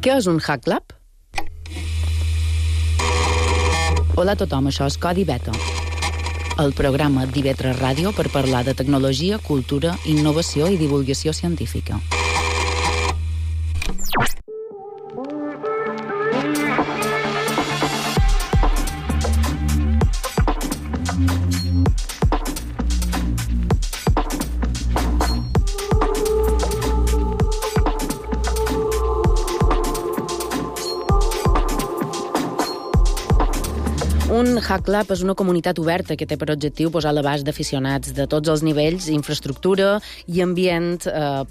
Què és un Hack Lab? Hola a tothom, això és Codi Beta, el programa d'IV3 Ràdio per parlar de tecnologia, cultura, innovació i divulgació científica. Un Hack Lab és una comunitat oberta que té per objectiu posar a l'abast d'aficionats de tots els nivells, infraestructura i ambient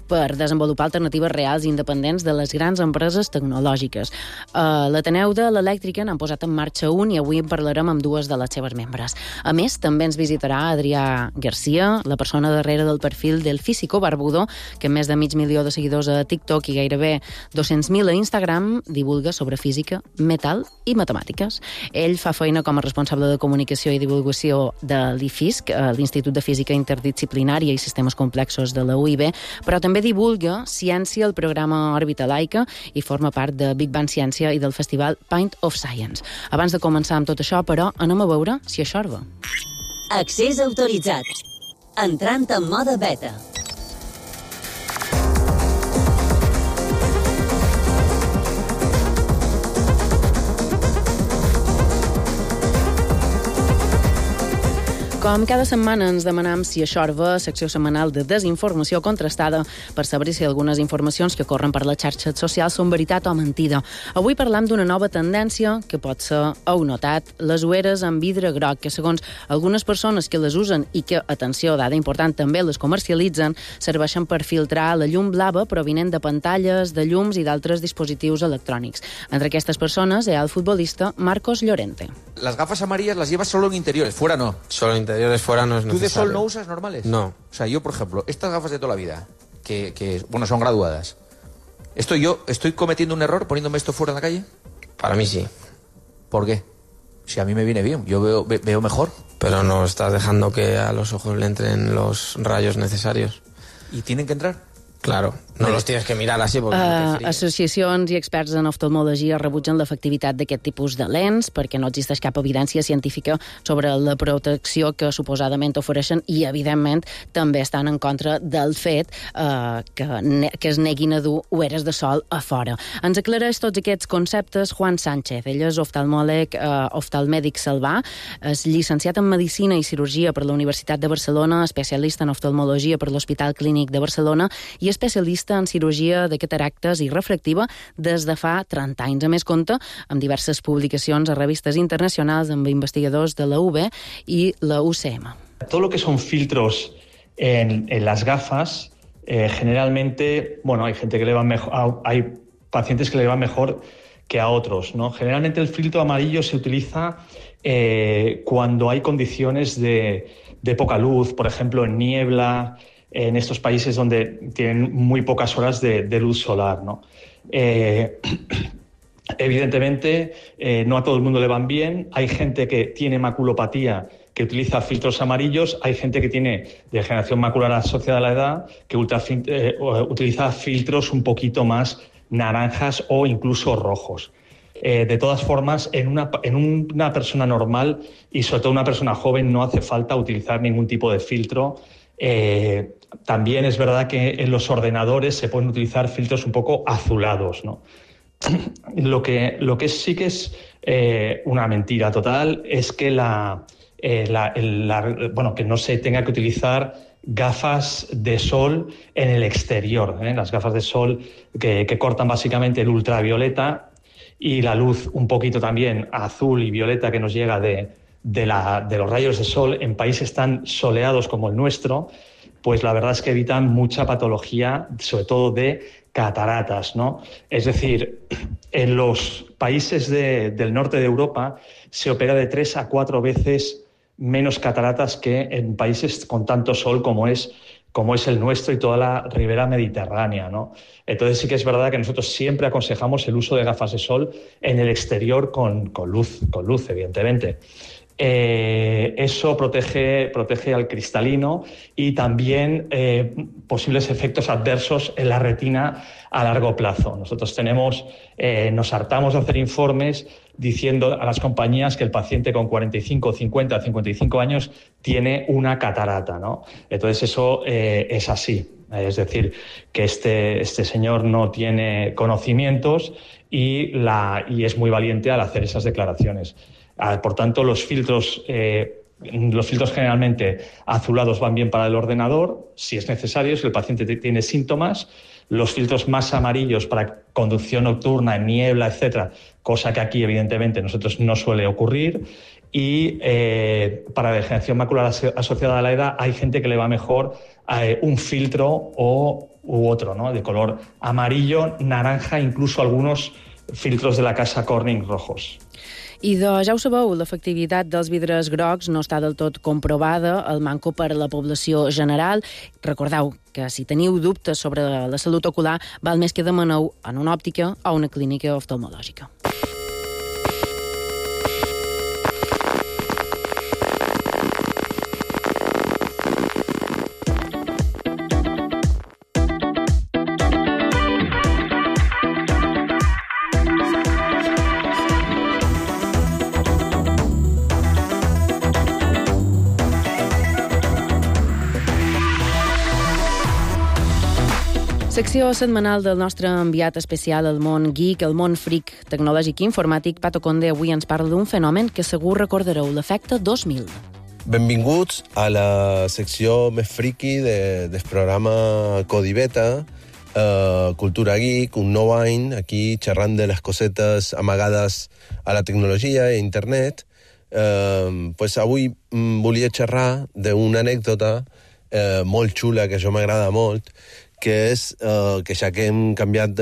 per desenvolupar alternatives reals i independents de les grans empreses tecnològiques. L'Ateneu de l'Elèctrica n'han posat en marxa un i avui en parlarem amb dues de les seves membres. A més, també ens visitarà Adrià Garcia, la persona darrere del perfil del Físico Barbudo, que amb més de 500.000 de seguidors a TikTok i gairebé 200.000 a Instagram divulga sobre física, metal i matemàtiques. Ell fa feina com a responsable de comunicació i divulgació de l'IFISC, l'Institut de Física Interdisciplinària i Sistemes Complexos de la UIB, però també divulga ciència al programa Òrbita Laica i forma part de Big Bang Ciència i del festival Pint of Science. Abans de començar amb tot això, però, anem a veure si això va. Accés autoritzat. Entrant en mode beta. Com cada setmana ens demanam si això va, secció setmanal de desinformació contrastada per saber si algunes informacions que corren per les xarxes socials són veritat o mentida. Avui parlam d'una nova tendència que pot ser, heu notat, les ulleres amb vidre groc, que segons algunes persones que les usen i que, atenció, dada important, també les comercialitzen, serveixen per filtrar la llum blava provinent de pantalles, de llums i d'altres dispositius electrònics. Entre aquestes persones hi ha el futbolista Marcos Llorente. Las gafas amarillas las llevas solo en interiores, fuera no. Solo en interiores, fuera no es necesario. ¿Tú de sol no usas normales? No. O sea, yo, por ejemplo, estas gafas de toda la vida, que bueno, son graduadas, ¿yo estoy cometiendo un error poniéndome esto fuera en la calle? Para mí sí. ¿Por qué? Si a mí me viene bien, yo veo mejor. Pero no estás dejando que a los ojos le entren los rayos necesarios. ¿Y tienen que entrar? Claro, no los tienes que mirar así porque associacions i experts en oftalmologia rebutgen l'efectivitat d'aquest tipus de lents perquè no existeix cap evidència científica sobre la protecció que suposadament ofereixen i, evidentment, també estan en contra del fet que es neguin a dur ulleres de sol a fora. Ens aclareix tots aquests conceptes Juan Sánchez. Ell és oftalmèdic salvà, és llicenciat en Medicina i Cirurgia per la Universitat de Barcelona, especialista en oftalmologia per l'Hospital Clínic de Barcelona i especialista en cirurgia de cataractes i refractiva des de fa 30 anys. A més, compta amb diverses publicacions a revistes internacionals amb investigadors de la UB i la UCM. Todo lo que son filtros en las gafas, generalmente, bueno, hay gente que le va mejor, hay pacientes que le van mejor que a otros, ¿no? Generalmente el filtro amarillo se utiliza cuando hay condiciones de poca luz, por ejemplo, en niebla, en estos países donde tienen muy pocas horas de luz solar, ¿no? Evidentemente, no a todo el mundo le van bien. Hay gente que tiene maculopatía que utiliza filtros amarillos, hay gente que tiene degeneración macular asociada a la edad que utiliza filtros un poquito más naranjas o incluso rojos. De todas formas, en una persona normal y sobre todo una persona joven no hace falta utilizar ningún tipo de filtro. También es verdad que en los ordenadores se pueden utilizar filtros un poco azulados, ¿no? Lo que sí que es una mentira total es que que no se tenga que utilizar gafas de sol en el exterior, ¿eh? Las gafas de sol que cortan básicamente el ultravioleta y la luz un poquito también azul y violeta que nos llega de los rayos de sol en países tan soleados como el nuestro, pues la verdad es que evitan mucha patología, sobre todo de cataratas, ¿no? Es decir, en los países del norte de Europa se opera de 3 a 4 veces menos cataratas que en países con tanto sol como es el nuestro y toda la ribera mediterránea, ¿no? Entonces sí que es verdad que nosotros siempre aconsejamos el uso de gafas de sol en el exterior con luz, evidentemente. eso protege al cristalino y también posibles efectos adversos en la retina a largo plazo. Nosotros nos hartamos de hacer informes diciendo a las compañías que el paciente con 45, 50, 55 años tiene una catarata, ¿no? Entonces eso es así. Es decir, que este señor no tiene conocimientos y es muy valiente al hacer esas declaraciones. Por tanto, los filtros generalmente azulados van bien para el ordenador, si es necesario, si el paciente tiene síntomas. Los filtros más amarillos para conducción nocturna, en niebla, etcétera, cosa que aquí, evidentemente, nosotros no suele ocurrir. Y para degeneración macular asociada a la edad hay gente que le va mejor un filtro u otro, ¿no? De color amarillo, naranja, incluso algunos filtros de la casa Corning rojos. I ja ho sabeu, l'efectivitat dels vidres grocs no està del tot comprovada, el manco per a la població general. Recordeu que si teniu dubtes sobre la salut ocular, val més que demaneu en una òptica o una clínica oftalmològica. Secció setmanal del nostre enviat especial al món geek, al món freak tecnològic i informàtic. Pato Conde avui ens parla d'un fenomen que segur recordareu, l'efecte 2000. Benvinguts a la secció més friki del programa Codi Beta, Cultura Geek, un nou any, aquí xerrant de les cosetes amagades a la tecnologia i a internet. Avui volia xerrar d'una anècdota molt xula que a jo m'agrada molt, que és que ja que hem canviat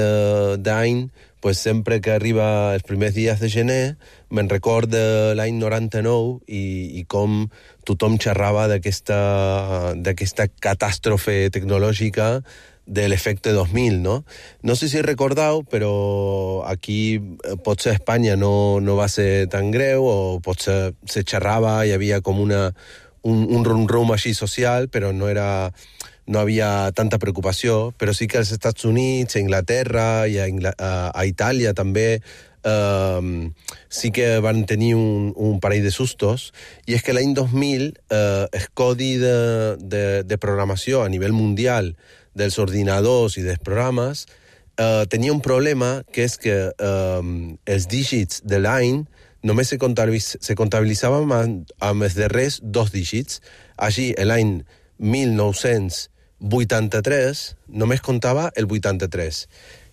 d'any, sempre que arriba els primers dies de gener, me'n record de l'any 99 i com tothom xerrava d'aquesta catàstrofe tecnològica de l'efecte 2000, no? No sé si recordeu, però aquí potser a Espanya no va ser tan greu, o potser se xerrava, hi havia com un rum-rum així social, però no havia tanta preocupació, però sí que als Estats Units, a Inglaterra i a Itàlia també sí que van tenir un parell de sustos, i és que l'any 2000 el codi de programació a nivell mundial dels ordinadors i dels programes tenia un problema, que és que els dígits de l'any només se comptabilitzaven amb els darrers 2 dígits. Així, l'any 1983 només comptava el 83.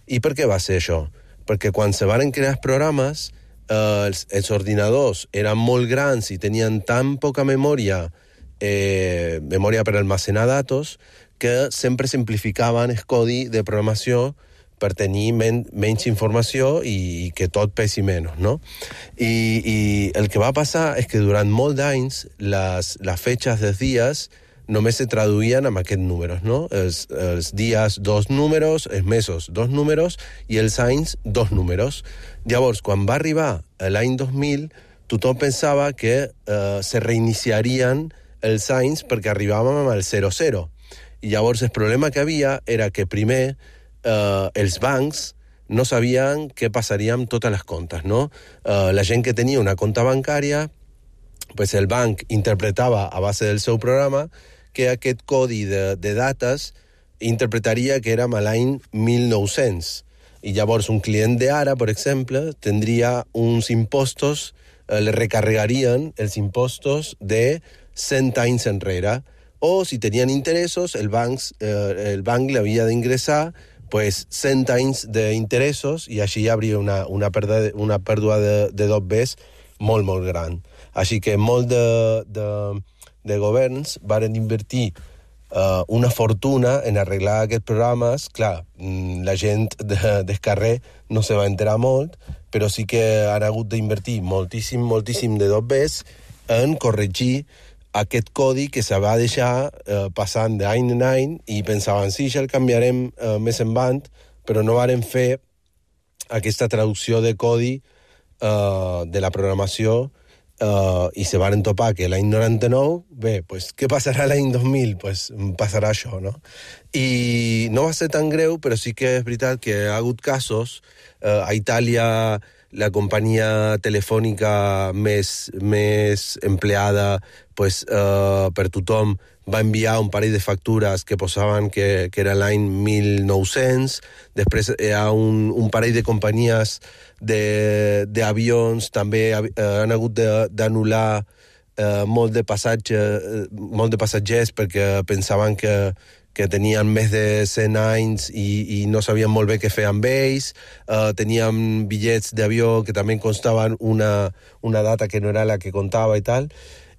I per què va ser això? Perquè quan se van crear els programes, els ordinadors eren molt grans i tenien tan poca memòria per almacenar datos, que sempre simplificaven el codi de programació per tenir menys informació i que tot pesi menys, no? I el que va passar és que durant molt d'anys les fetges dels dies només se traduïen amb aquests números, no? Els dies 2 números, els mesos 2 números i els anys 2 números. Llavors, quan va arribar l'any 2000, tothom pensava que se reiniciarien els anys perquè arribàvem al 00. I llavors el problema que havia era que primer els bancs no sabien què passaria amb totes les comptes, no? La gent que tenia una compta bancària, el banc interpretava a base del seu programa que aquest codi de dates interpretaria que érem a l'any 1900. I llavors un client d'ara, per exemple, tindria uns impostos, le recarregarien els impostos de 100 anys enrere, o si tenien interessos, el banc li havia d'ingressar 100 anys d'interessos, i així hi hauria una pèrdua de dobbers molt, molt gran. Així que molt de governs varen invertir una fortuna en arreglar aquests programes. Clar, la gent del carrer no se va enterar molt, però sí que han hagut d'invertir moltíssim de dobbers en corregir aquest codi que se va deixar passant d'any en any, i pensaven, sí, ja el canviarem més endavant, però no varen fer aquesta traducció de codi de la programació i se van topar que l'any 99, bé, pues, què passarà l'any 2000? Pues passarà això, no? I no va ser tan greu, però sí que és veritat que ha hagut casos. A Itàlia, la companyia telefònica més empleada pues, per tothom va enviar un parell de factures que posaven que era l'any 1900. Després hi ha un parell de companyies d'avions també han hagut d'anul·lar molt de passatgers perquè pensaven que tenien més de 100 anys i no sabien molt bé què fer amb ells. Teníem bitllets d'avió que també constaven una data que no era la que comptava i tal.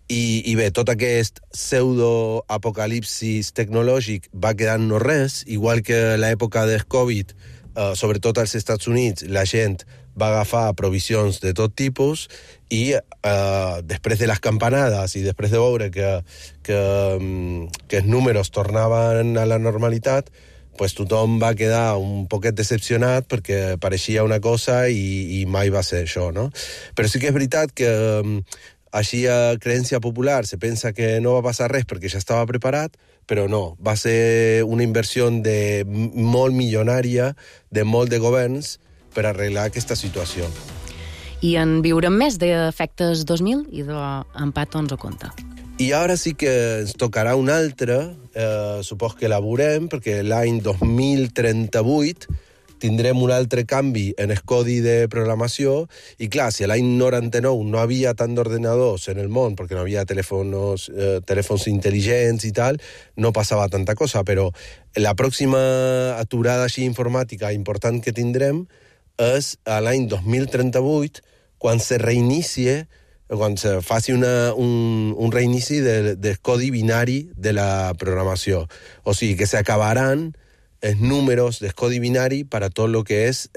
I bé, tot aquest pseudo-apocalipsis tecnològic va quedar no res, igual que l'època del Covid, sobretot als Estats Units, la gent va agafar provisions de tot tipus i després de les campanades i després de veure que els números tornaven a la normalitat, pues tothom va quedar un poquet decepcionat perquè pareixia una cosa i mai va ser això, no? Però sí que és veritat que així a creencia popular se pensa que no va passar res perquè ja estava preparat, però no, va ser una inversió molt milionària de molt de governs per arreglar aquesta situació. I en viurem més d'Efectes 2000 i d'Empat 11 Conte. I ara sí que ens tocarà un altre, supos que la veurem, perquè l'any 2038 tindrem un altre canvi en el codi de programació, i clar, si a l'any 99 no havia tant d'ordenadors en el món, perquè no havia telèfons intel·ligents i tal, no passava tanta cosa, però la pròxima aturada així informàtica important que tindrem és a l'any 2038, quan se reinicie, quan se faci un reinici del codi binari de la programació. O sigui, que s'acabaran els números del codi binari para todo lo que es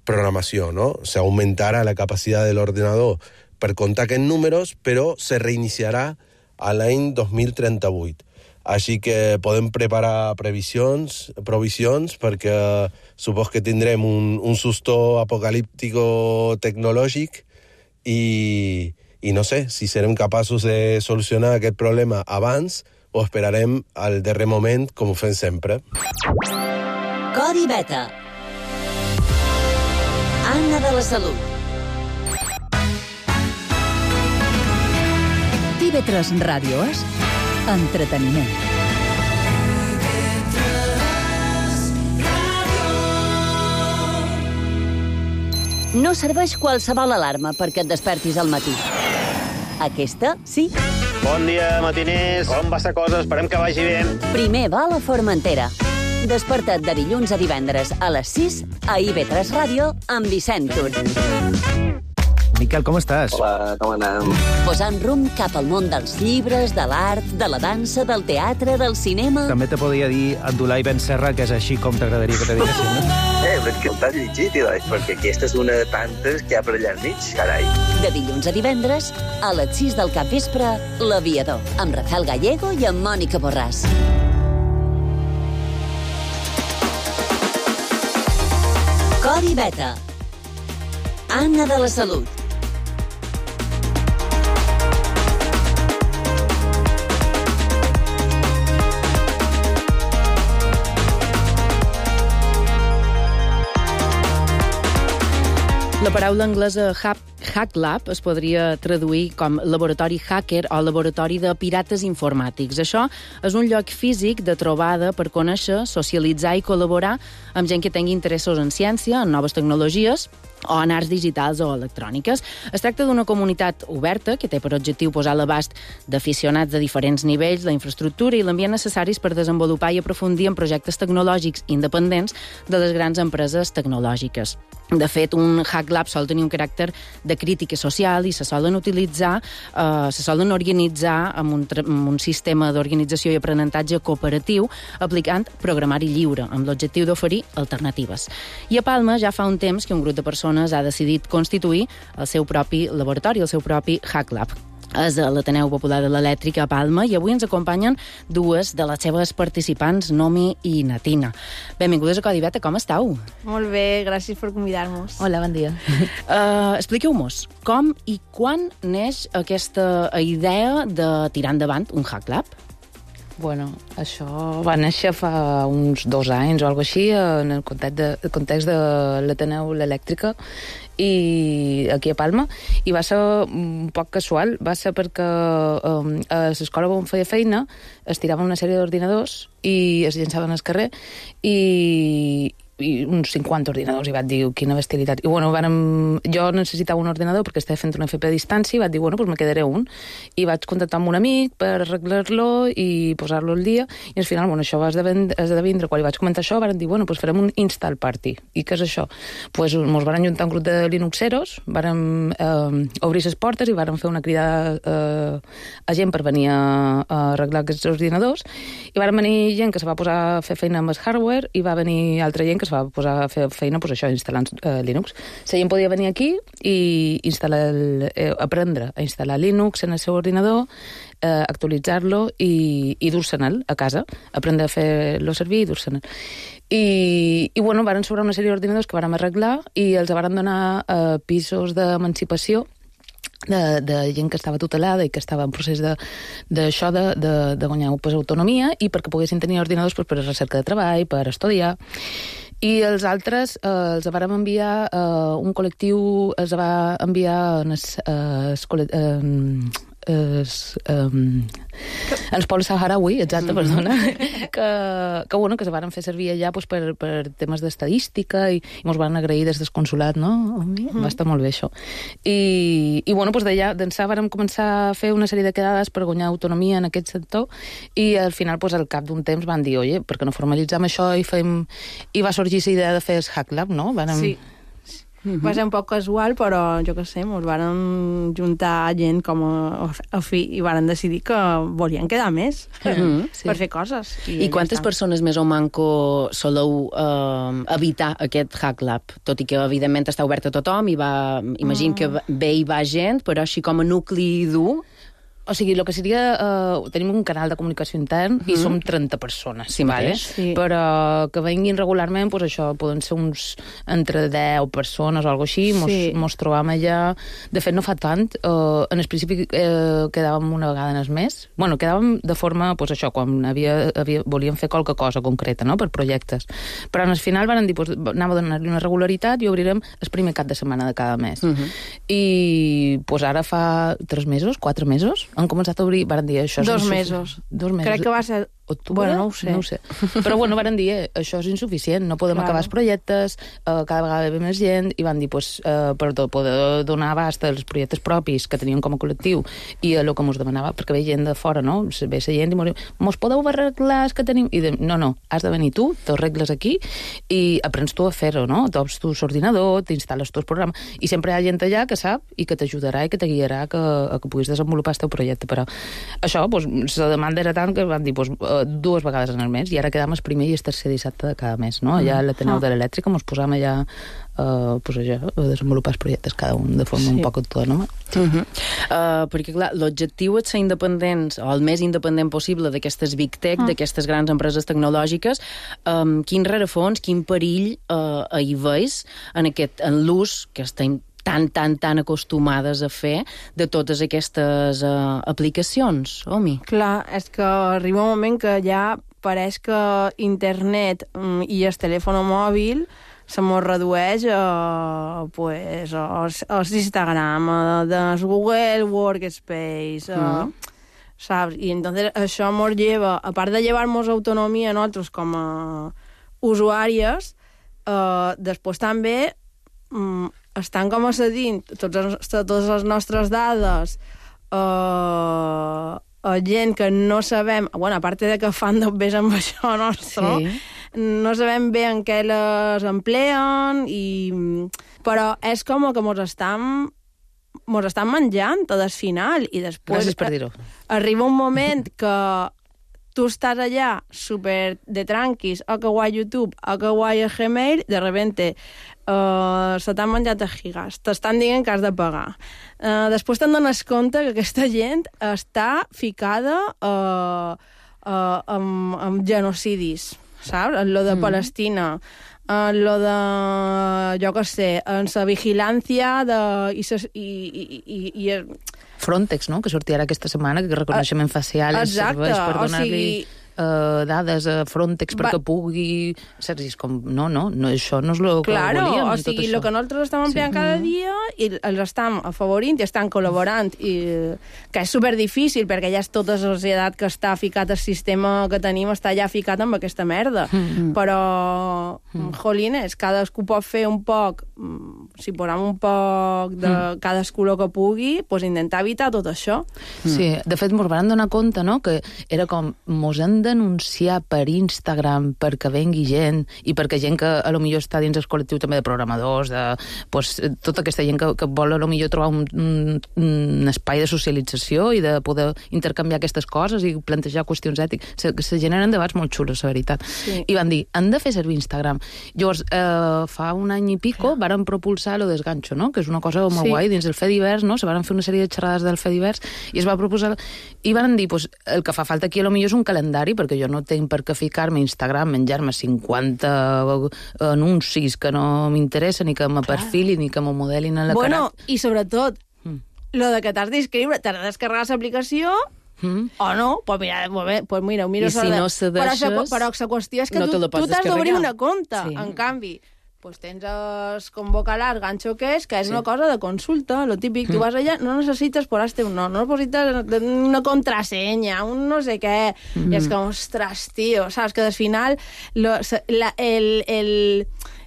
programación, ¿no? Se aumentará la capacidad del ordenador per comptar aquests números, però se reiniciarà a l'any 2038. Així que podem preparar provisions perquè supos que tindrem un susto apocalíptico tecnològic i no sé si serem capaços de solucionar aquest problema abans o esperarem al darrer moment, com ho fem sempre. Codi Beta. Anna de la Salut. TV3 Ràdio és entreteniment. No serveix qualsevol alarma perquè et despertis al matí. Aquesta, sí. Bon dia, matiners. Com va la cosa? Esperem que vagi bé. Primer vol a Formentera. Desperta't de dilluns a divendres a les 6 a IB3 Ràdio amb Vicent Tur. Miquel, com estàs? Hola, com anem? Posant rumb cap al món dels llibres, de l'art, de la dansa, del teatre, del cinema... També te podria dir Abdulai Ben Serra, que és així com t'agradaria que te diguessin, no? Però que t'has llegit, perquè aquesta és una de tantes que hi ha per allà al mig, carai. De dilluns a divendres, a les 6 del capvespre, L'Aviador, amb Rafael Gallego i amb Mònica Borràs. Codi Beta. Anna de la Salut. La paraula anglesa Hack Lab es podria traduir com laboratori hacker o laboratori de pirates informàtics. Això és un lloc físic de trobada per conèixer, socialitzar i col·laborar amb gent que tingui interessos en ciència, en noves tecnologies o en arts digitals o electròniques. Es tracta d'una comunitat oberta que té per objectiu posar a l'abast d'aficionats de diferents nivells la infraestructura i l'ambient necessaris per desenvolupar i aprofundir en projectes tecnològics independents de les grans empreses tecnològiques. De fet, un Hack Lab sol tenir un caràcter de crítica social i se solen organitzar amb un sistema d'organització i aprenentatge cooperatiu aplicant programari lliure, amb l'objectiu d'oferir alternatives. I a Palma ja fa un temps que un grup de persones ha decidit constituir el seu propi laboratori, el seu propi Hack Lab. és a l'Ateneu Popular de l'Elèctrica a Palma, i avui ens acompanyen dues de les seves participants, Nomi i Natina. Benvingudes a Codi Beta, com estàu? Molt bé, gràcies per convidar-nos. Hola, bon dia. Expliqueu-nos, com i quan neix aquesta idea de tirar endavant un Hack Lab? Bueno, això va néixer fa uns 2 anys o alguna cosa així, en el context de l'Ateneu l'Elèctrica, i aquí a Palma, i va ser un poc casual. Va ser perquè a l'escola on feia feina es tiraven una sèrie d'ordinadors i es llançaven al carrer, i uns 50 ordinadors, i vaig dir, quina bestialitat. I bueno, jo necessitava un ordinador perquè estava fent una FP a distància, i vaig dir, bueno, pues me quedaré un. I vaig contactar amb un amic per arreglar-lo i posar-lo al dia, i al final, bueno, això va esdevindre, quan li vaig comentar això, van dir, bueno, pues farem un install party. I què és això? Pues mos van juntar un grup de linuxeros, van obrir les portes i van fer una crida a gent per venir a arreglar aquests ordinadors, i van venir gent que se va posar a fer feina amb el hardware, i va venir altra gent que va posar a fer feina, pues això, instal·lant Linux. La gent podia venir aquí i aprendre a instal·lar Linux en el seu ordinador, actualitzar-lo i dur-se'l a casa, aprendre a fer-lo servir i dur-se'l. I bueno, varen sobrar una sèrie d'ordinadors que vàrem arreglar i els varen donar pisos d'emancipació de gent que estava tutelada i que estava en procés de guanyar autonomia, i perquè poguessin tenir ordinadors per a recerca de treball, per estudiar. I els altres els vàrem enviar, un col·lectiu els va enviar els pols saharaui, exacte, perdona, que se van fer servir allà per temes d'estadística, i mos van agrair des del consulat, no? Va estar molt bé això. I bueno, d'allà d'ençà vàrem començar a fer una sèrie de quedades per guanyar autonomia en aquest sector, i al final, al cap d'un temps, van dir, oye, per què no formalitzem això i va sorgir la idea de fer el Hack Lab, no? Sí. Va ser un poc casual, però jo què sé, ens varen juntar gent com a fi, i varen decidir que volien quedar més per fer coses. I quantes persones més o manco soleu evitar aquest Hack Lab? Tot i que, evidentment, està obert a tothom, i imagino que ve i va gent, però així com a nucli dur... O sigui, el que seria... tenim un canal de comunicació intern i som 30 persones, sí, vale? Sí. Però que venguin regularment, doncs això, poden ser uns entre 10 persones o alguna cosa així, mos trobam allà. De fet, no fa tant. En el principi quedàvem una vegada en el mes. Bueno, quedàvem de forma, doncs això, quan volíem fer qualque cosa concreta, no?, per projectes. Però en el final van dir, anem a donar-li una regularitat i obrirem el primer cap de setmana de cada mes. I ara fa 3 mesos, 4 mesos, han començat a obrir, varen dir, això... 2 mesos. 2 mesos. Crec que va ser... Bueno, no ho sé. Però bueno, varen dir, això és insuficient, no podem acabar els projectes, cada vegada ve més gent, i van dir, per poder donar abast als projectes propis que teníem com a col·lectiu i a el que mos demanava, perquè ve gent de fora, no? Ve la gent i mos podeu arreglar els que tenim? I no, has de venir tu, t'ho arregles aquí i aprens tu a fer-ho, no? T'obres tu l'ordinador, t'instal·les tu el programa, i sempre hi ha gent allà que sap i que t'ajudarà i que te guiarà a que puguis desenvolupar el teu projecte. Però això, la demanda era tant que van dir, 2 vegades en el mes, i ara quedam el primer i el tercer dissabte de cada mes, no? Allà a l'Ateneu de l'Elèctrica mos posam allà a desenvolupar els projectes cada un de forma un poc autònoma. Perquè, clar, l'objectiu és ser independents, o el més independent possible d'aquestes big tech, d'aquestes grans empreses tecnològiques. Quin rerefons, quin perill hi veus en l'ús que estem tan acostumades a fer de totes aquestes aplicacions, Omi? Clar, és que arriba un moment que ja pareix que internet i el telèfon mòbil se mos redueix a Instagram, del Google Workspace, saps? I entonces això mos lleva, a part de llevar-nos autonomia a nosaltres com a usuàries, després també estan com a cedint totes les nostres dades a gent que no sabem, bueno, a part de que fan d'obvés amb això nostre, no sabem bé en què les empleen, però és com que mos estan menjant tot al final, i després gràcies per dir-ho. Arriba un moment que tu estàs allà super de tranquis, o que guai YouTube, o que guai el Gmail, de repente se t'han menjat els gigas, t'estan dient que has de pagar. Després te'n dones compte que aquesta gent està ficada amb genocidis, saps? En lo de Palestina, en lo de, jo què sé, en la vigilància i Frontex, no?, que sortia ara aquesta setmana, que reconeixement facial serveix per donar-li dades a Frontex perquè pugui... Saps? És com, no, això no és el que volíem. O sigui, el que nosaltres estem empleant cada dia i els estem afavorint i estan col·laborant, que és superdifícil perquè ja és tota la societat que està ficat al sistema que tenim, està ja ficat amb aquesta merda. Però, jolines, cadascú pot fer un poc, si posem un poc de cadascú el que pugui, doncs intentar evitar tot això. Sí, de fet, mos van donar compte, no?, que era com, mos hem denunciar per Instagram perquè vengui gent i perquè gent que a lo millor està dins el col·lectiu també de programadors, tota aquesta gent que vol a lo millor trobar un espai de socialització i de poder intercanviar aquestes coses i plantejar qüestions ètiques. Se generen debats molt xulos, la veritat. I van dir, han de fer servir Instagram. Llavors, fa un any i pico varen propulsar lo desganxo, no?, que és una cosa molt guai dins el Fediverse, no?, se varen fer una sèrie de xerrades del Fediverse i es va proposar i van dir, pues, el que fa falta aquí a lo millor és un calendari, perquè jo no tinc per què ficar-me a Instagram, menjar-me 50 anuncis que no m'interessen, ni que me perfilin, ni que me modelin a la cara. Bueno, i sobretot, lo de que t'has d'inscriure, t'has de descarregar l'aplicació, o no, pues mira, ho miro i si no cedeixes, però la qüestió és que tu t'has d'obrir una compte. En canvi, pues tens convocar ganxo que és una cosa de consulta, lo típic, tu vas allà, no necessites posar-te un nom, no necessites una contrasenya, un no sé què, i és com, ostres, tio, saps que al final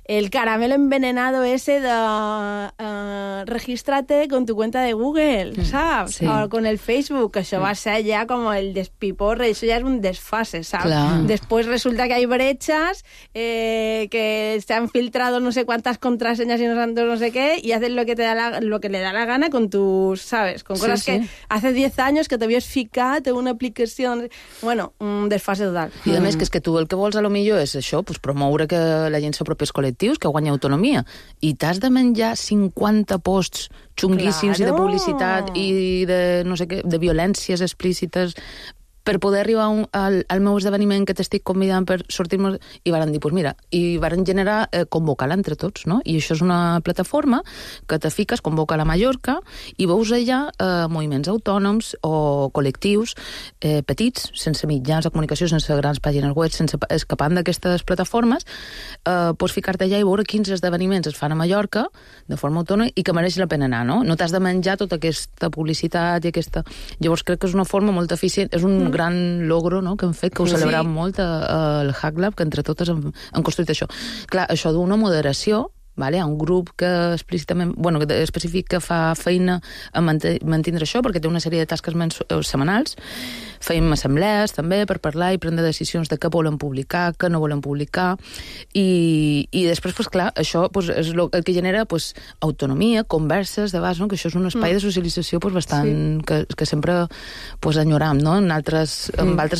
el caramelo envenenado ese de regístrate con tu cuenta de Google, ¿sabes? O con el Facebook, que això va ser ja com el despiporre, això ja és un desfase, ¿sabes? Después resulta que hay brechas, que se han filtrado no sé cuántas contraseñas y no sé qué, y haces lo que le da la gana con tus, ¿sabes? Con cosas que hace 10 años que t'havies ficat en una aplicació... Bueno, un desfase total. I a més, que és que tu el que vols a lo millor és això, pues, promoure que la gent s'apropi als col·lectius, que guanya autonomia, i t'has de menjar 50 posts xunguíssims i de publicitat i de, no sé què, de violències explícites per poder arribar al meu esdeveniment que t'estic convidant per sortir-nos... I varen dir, doncs mira, i varen generar, convocar-la entre tots, no? I això és una plataforma que te fiques, convoca a Mallorca, i veus allà moviments autònoms o col·lectius petits, sense mitjans de comunicació, sense grans pàgines web, sense escapant d'aquestes plataformes, pots ficar-te allà i veure quins esdeveniments es fan a Mallorca de forma autònoma i que mereix la pena anar, no? No t'has de menjar tota aquesta publicitat i aquesta... Llavors crec que és una forma molt eficient, és un gran logro, no?, que hem fet, que ho celebrem molt al Hack Lab, que entre totes hem construït això. Clar, això d'una moderació, vale? Hi ha un grup que explícitament, bueno, específic que fa feina a mantindre això, perquè té una sèrie de tasques setmanals. Fem assemblees també per parlar i prendre decisions de què volen publicar, què no volen publicar, i després, pues, clar, això pues, és el que genera pues, autonomia, converses, debats, no? Que això és un espai de socialització pues, bastant que sempre pues, enyoram, no? En altres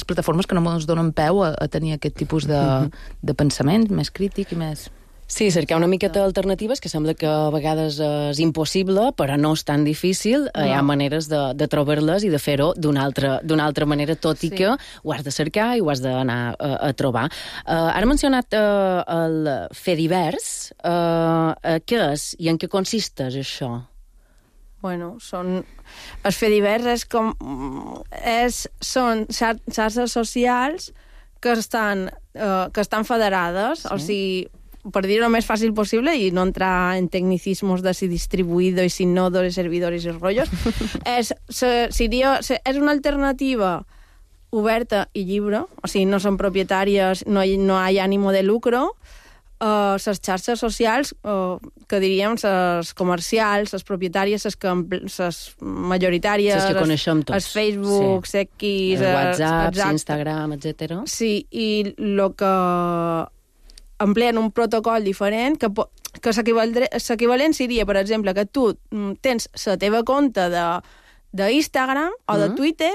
plataformes que no ens donen peu a tenir aquest tipus de pensament més crític i més... Sí, cercar una miqueta d'alternatives, que sembla que a vegades és impossible, però no és tan difícil. Hi ha maneres de trobar-les i de fer-ho d'una altra manera, tot i que ho has de cercar i ho has d'anar a trobar. Ara mencionat el Fediverse. Què és i en què consisteix això? Bueno, el Fediverse són xarxes socials que estan federades, o sigui, per dir-ho més fàcil possible i no entrar en tecnicismos de si distribuïdo i si no de servidors i rotllos, és una alternativa oberta i lliure, o sigui, no són propietàries, no hi ha ànimo de lucro. Les xarxes socials, que diríem les comercials, les propietàries, les majoritàries, les que coneixem tots, els Facebook, X, WhatsApp, Instagram, etc. Sí, i el que empleen un protocol diferent que l'equivalent seria, per exemple, que tu tens la teva compte d'Instagram o de Twitter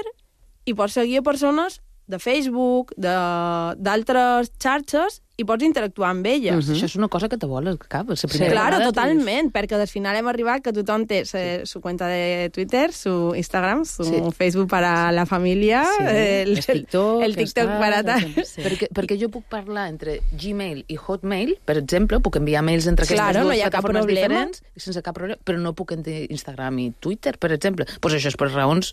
i pots seguir a persones de Facebook, d'altres xarxes, i pots interactuar amb elles. Això és una cosa que te vol al cap. Claro, totalment, perquè al final hem arribat que tothom té su cuenta de Twitter, su Instagram, su Facebook para la família, el TikTok para tal. Perquè jo puc parlar entre Gmail i Hotmail, per exemple, puc enviar mails entre aquestes dues plataformes diferents, sense cap problema, però no puc entre Instagram i Twitter, per exemple. Doncs això és per raons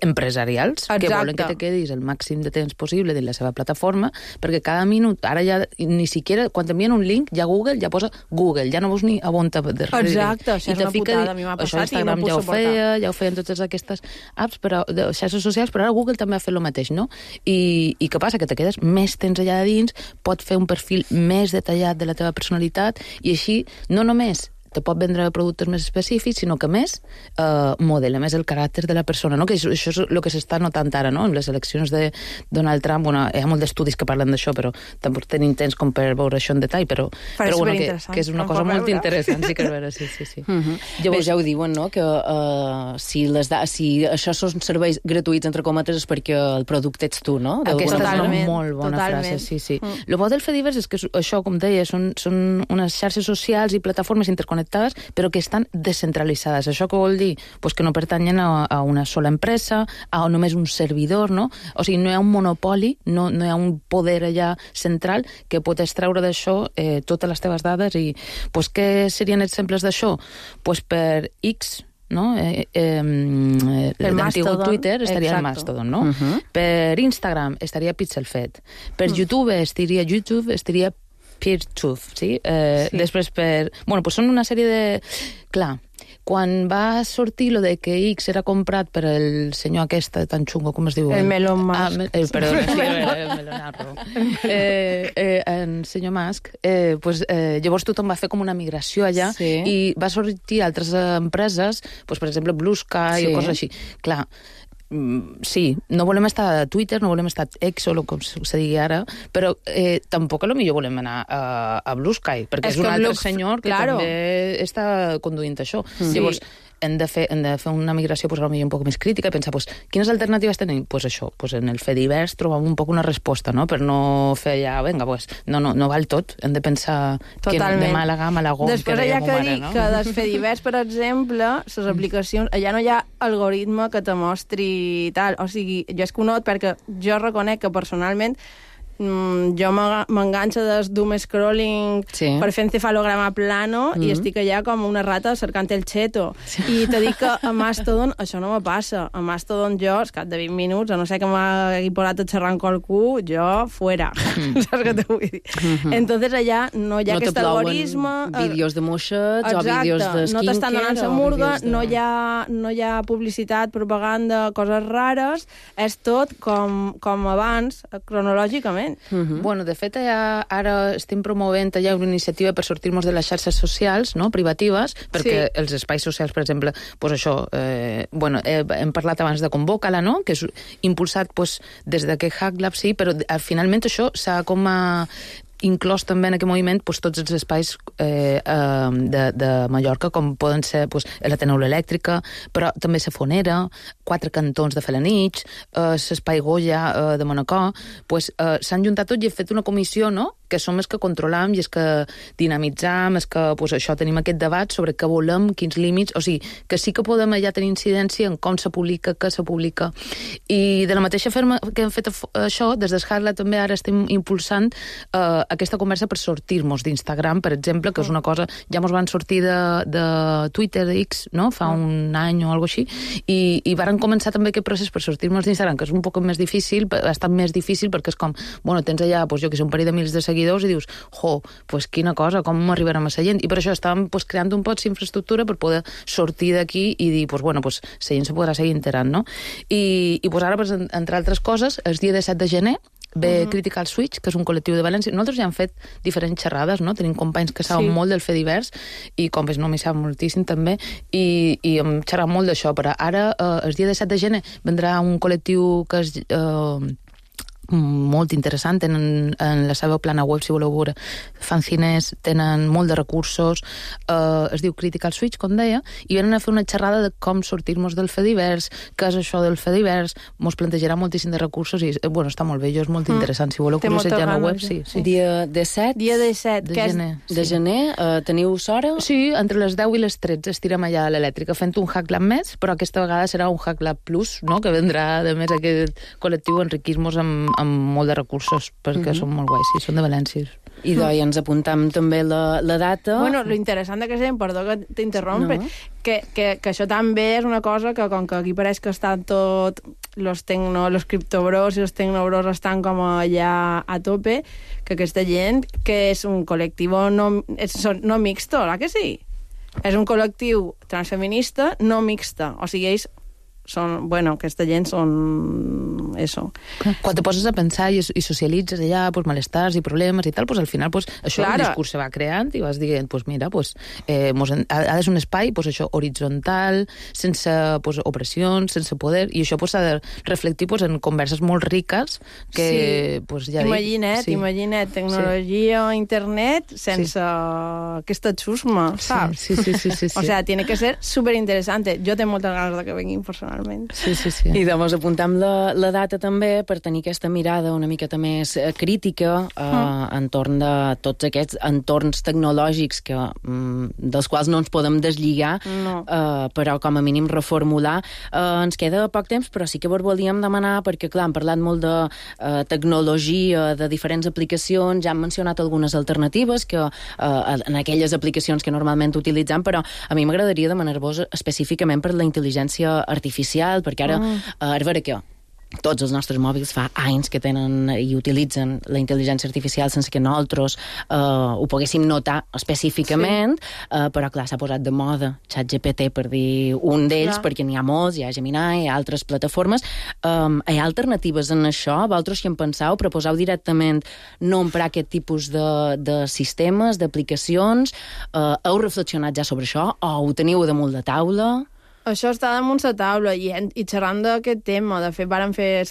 empresarials, que volen que te quedis el màxim de temps possible dins la seva plataforma, perquè cada minut, ara ja ni siquiera, quan t'envien un link, ja Google ja posa Google, ja no veus ni a on te... Exacte, això és una putada, a mi m'ha passat i no puc suportar. Ja ho feien totes aquestes apps de xarxes socials, però ara Google també ha fet el mateix, no? I què passa? Que te quedes més temps allà dins, pot fer un perfil més detallat de la teva personalitat, i així, no només te pot vendre productes més específics, sinó que més modela més el caràcter de la persona, no? Que això és el que s'està notant ara, no? En les eleccions de Donald Trump, hi ha molts d'estudis que parlen d'això, però tampoc tenim temps com per veure això en detall, però que és una cosa molt interessant, sí que és vera, sí. Llavors ja ho diuen, no? Que si això són serveis gratuïts, entre cometes, és perquè el producte ets tu, no? Aquesta és una molt bona frase, sí. El bo del Fediverse és que això, com deia, són unes xarxes socials i plataformes interconnectades, però que estan descentralitzades. Això què vol dir? Pues que no pertanyen a una sola empresa, a només un servidor, no? O sigui, no hi ha un monopoli, no hi ha un poder allà central que pot extreure d'això totes les teves dades. I pues, què serien exemples d'això? Pues per X, no? L'antic Twitter estaria el Mastodon, no? Per Instagram estaria Pixelfed. Per YouTube estaria PeerTube, sí? Després pues són una sèrie de... Clar, quan va sortir lo de que X era comprat per el senyor aquest tan xungo, com es diu? El Elon Musk. Perdó, el Melonarro. El senyor Musk, llavors tothom va fer com una migració allà i va sortir altres empreses, per exemple Blue Sky o coses així. Clar, sí, no volem estar a Twitter, no volem estar a X o com se digui ara, però tampoc potser volem anar a Blue Sky, perquè és un altre senyor que també està conduint això. Llavors, hem de fer una migració potser un poc més crítica i pensar, quines alternatives tenim? Doncs això, en el Fediverse trobam un poc una resposta, no? Per no fer allà, vinga, no val tot, hem de pensar que de Màlaga a Malagón. Després hi ha que dir que del Fediverse, per exemple, les aplicacions, allà no hi ha algoritme que te mostri tal, o sigui, jo és que ho not perquè jo reconec que personalment jo m'enganxo des doom scrolling per fer encefalograma plano i estic allà com una rata cercant el cheto. I te dic que a Mastodon això no me passa. A Mastodon jo, al cap de 20 minuts, a no ser que m'hagi posat a xerrar amb qualcú, jo fuera. Saps què te vull dir? Entonces allà no hi ha aquest algoritme. Vídeos de moixets o vídeos de skincare. No t'estan donant la murga, no hi ha publicitat, propaganda, coses rares. És tot com abans, cronològicament. Bueno, de fet, ara estem promovent ja una iniciativa per sortir-nos de les xarxes socials, no?, privatives, perquè els espais socials, per exemple, pues això, hem parlat abans de Convoca-la, no?, que és impulsat des de que HackLab, sí, però finalment això s'ha com inclòs també en aquest moviment tots els espais de Mallorca, com poden ser l'Ateneu Elèctrica, però també la Fonera, 4 cantons de Felanitx, l'Espai Goya de Manacor, s'han juntat tots i han fet una comissió, no?, que som els que controlam i els que dinamitzam, els que això tenim aquest debat sobre què volem, quins límits, o sigui, que sí que podem allà tenir incidència en com se publica, què se publica. I de la mateixa forma que hem fet això, des d'Escarla també ara estem impulsant aquesta conversa per sortir-nos d'Instagram, per exemple, que és una cosa, ja ens van sortir de Twitter, X, no?, fa un any o alguna cosa així, i varen començar també aquest procés per sortir-nos d'Instagram, que és un poc més difícil, ha estat més difícil perquè és com, tens allà, jo que sé, un parell de mils de seguidors i dius, quina cosa, com arribarem a la gent? I per això estàvem creant un poc d'infraestructura per poder sortir d'aquí i dir, la gent se podrà seguir enterant, no? I ara, entre altres coses, el dia 7 de gener ve Critical Switch, que és un col·lectiu de València. Nosaltres ja hem fet diferents xerrades, no? Tenim companys que saben molt del Fediverse i companys no m'hi saben moltíssim també i hem xerrat molt d'això, però ara el dia 7 de gener vendrà un col·lectiu que és molt interessant, tenen en la seva plana web, si voleu veure, fan cines, tenen molt de recursos, es diu Critical Switch, com deia, i venen a fer una xerrada de com sortir-nos del Fediverse, què és això del Fediverse, mos plantejarà moltíssim de recursos i, bueno, està molt bé, és molt interessant, si voleu curiosejar la web, sí. Dia 17? Dia 17, de gener. Teniu hora? Sí, entre les 10 i les 13 estirem allà a l'elèctrica fent un Hack Lab més, però aquesta vegada serà un Hack Lab Plus, no?, que vendrà, de més, aquest col·lectiu a enriquir-nos amb molt de recursos, perquè són molt guais, sí, són de València. I doncs ens apuntam també la data. Bueno, lo interessant que gent, perdó que t'interrompe, que això també és una cosa que, com que aquí pareix que estan tot, los criptobros i els tecnobros estan com allà a tope, que aquesta gent, que és un col·lectiu no mixto, ¿la que sí? És un col·lectiu transfeminista no mixta, o sigui, ells són, bueno, aquesta gent són eso. Quan te poses a pensar i socialitzes allà, pues, malestars i problemes i tal, pues, al final, pues, això, claro, el discurs se va creant i vas dient, pues, mira, pues, ha de ser un espai, pues, això, horitzontal, sense, pues, opressions, sense poder, i això, pues, s'ha de reflectir, pues, en converses molt riques que, sí, pues, ja imagina't, tecnologia, internet, sense aquesta xusma, saps? Sí. O sea, tiene que ser superinteresante. Jo tengo moltes ganes de que venguin personalment. Sí. I doncs apuntam la data també per tenir aquesta mirada una miqueta més crítica entorn de tots aquests entorns tecnològics dels quals no ens podem deslligar, però com a mínim reformular. Ens queda poc temps, però sí que vos volíem demanar, perquè clar, hem parlat molt de tecnologia, de diferents aplicacions, ja hem mencionat algunes alternatives que en aquelles aplicacions que normalment utilitzem, però a mi m'agradaria demanar-vos específicament per la intel·ligència artificial, perquè ara, a veure què, tots els nostres mòbils fa anys que tenen i utilitzen la intel·ligència artificial sense que nosaltres ho poguéssim notar específicament, però clar, s'ha posat de moda ChatGPT, per dir un d'ells, perquè n'hi ha molts, hi ha Gemini, hi ha altres plataformes. Hi ha alternatives en això? Vosaltres si en penseu, proposeu directament no emprar aquest tipus de sistemes, d'aplicacions? Heu reflexionat ja sobre això? O ho teniu damunt de taula? Això està damunt la taula i xerrant d'aquest tema. De fet, vàrem fer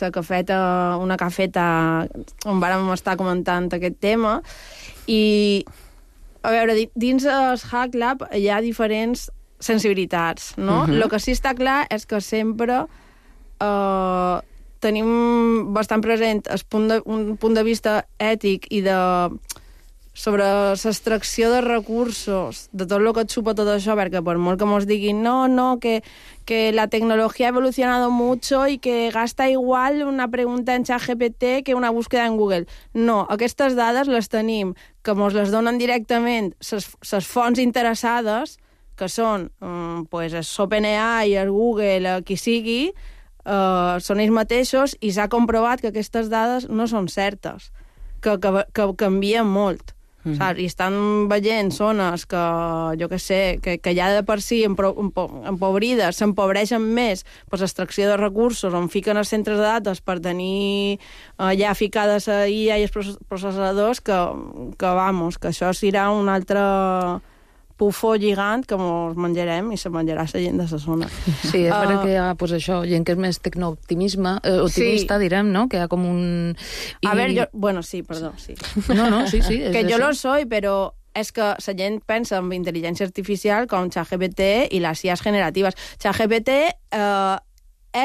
una cafeta on vàrem estar comentant aquest tema i, a veure, dins el Hack Lab hi ha diferents sensibilitats, no? El que sí està clar és que sempre tenim bastant present un punt de vista ètic i sobre l'extracció de recursos, de tot el que et supa tot això, perquè per molt que mos diguin que la tecnología ha evolucionado mucho y que gasta igual una pregunta en ChatGPT que una búsqueda en Google. No, aquestes dades les tenim, que mos les donen directament les fonts interessades, que són OpenAI, el Google, qui sigui, són ells mateixos, i s'ha comprovat que aquestes dades no són certes, que canvien molt. I estan veient zones que, jo què sé, que ja de per si empobrides, s'empobreixen més per l'extracció de recursos, on fiquen els centres de dades per tenir ja ficades a IA i els processadors, que això serà un altre pufó gigant que ens menjarem i se menjarà la gent de la zona. Sí, és perquè hi ha, això, gent que és més optimista, direm, no? Que hi ha com un... A veure, sí, perdó, sí. No, sí. Que jo lo soy, però és que la gent pensa en intel·ligència artificial com ChatGPT i les IAs generatives. ChatGPT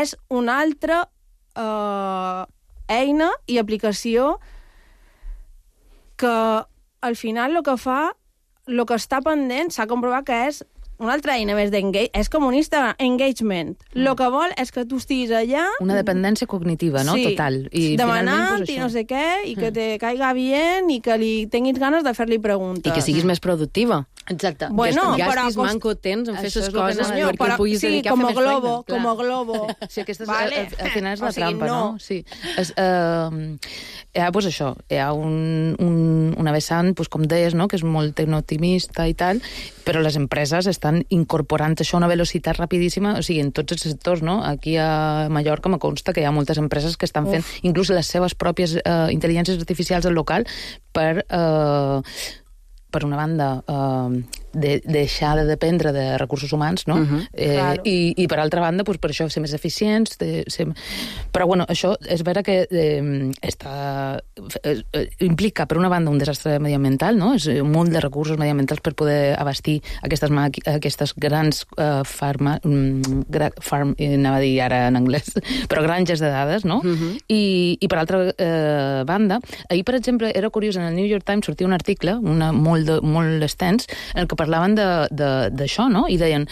és una altra eina i aplicació que al final el que fa, el que està pendent, s'ha comprovat que és una altra eina més és com un Instagram, engagement. El que vol és que tu estiguis allà... Una dependència cognitiva, no? Sí, total. I demanant i no sé què, i que te caiga bien, i que li tinguis ganes de fer-li preguntes. I que siguis més productiva. Exacte. Bueno, que gastis manco temps en fer aquestes coses perquè puguis dedicar a fer més feina. Sí, com a globo. Sí, aquesta al final és la trampa, no? Sí. Hi ha, això, hi ha una vessant, com deies, que és molt tecnooptimista i tal, però les empreses estan incorporant això a una velocitat rapidíssima, o sigui, en tots els sectors, no? Aquí a Mallorca me consta que hi ha moltes empreses que estan fent inclús les seves pròpies intel·ligències artificials al local per una banda, deixar de dependre de recursos humans, no? Claro. I per altra banda, doncs, per això ser més eficients, però bueno, això és vera que implica, per una banda, un desastre mediambiental, no? És un munt de recursos mediambientals per poder abastir aquestes grans anava a dir ara en anglès, però granges de dades, no? I per altra banda, ahir, per exemple, era curiós, en el New York Times sortia un article, molt extens, en el que parlaven d'això, no? I deien,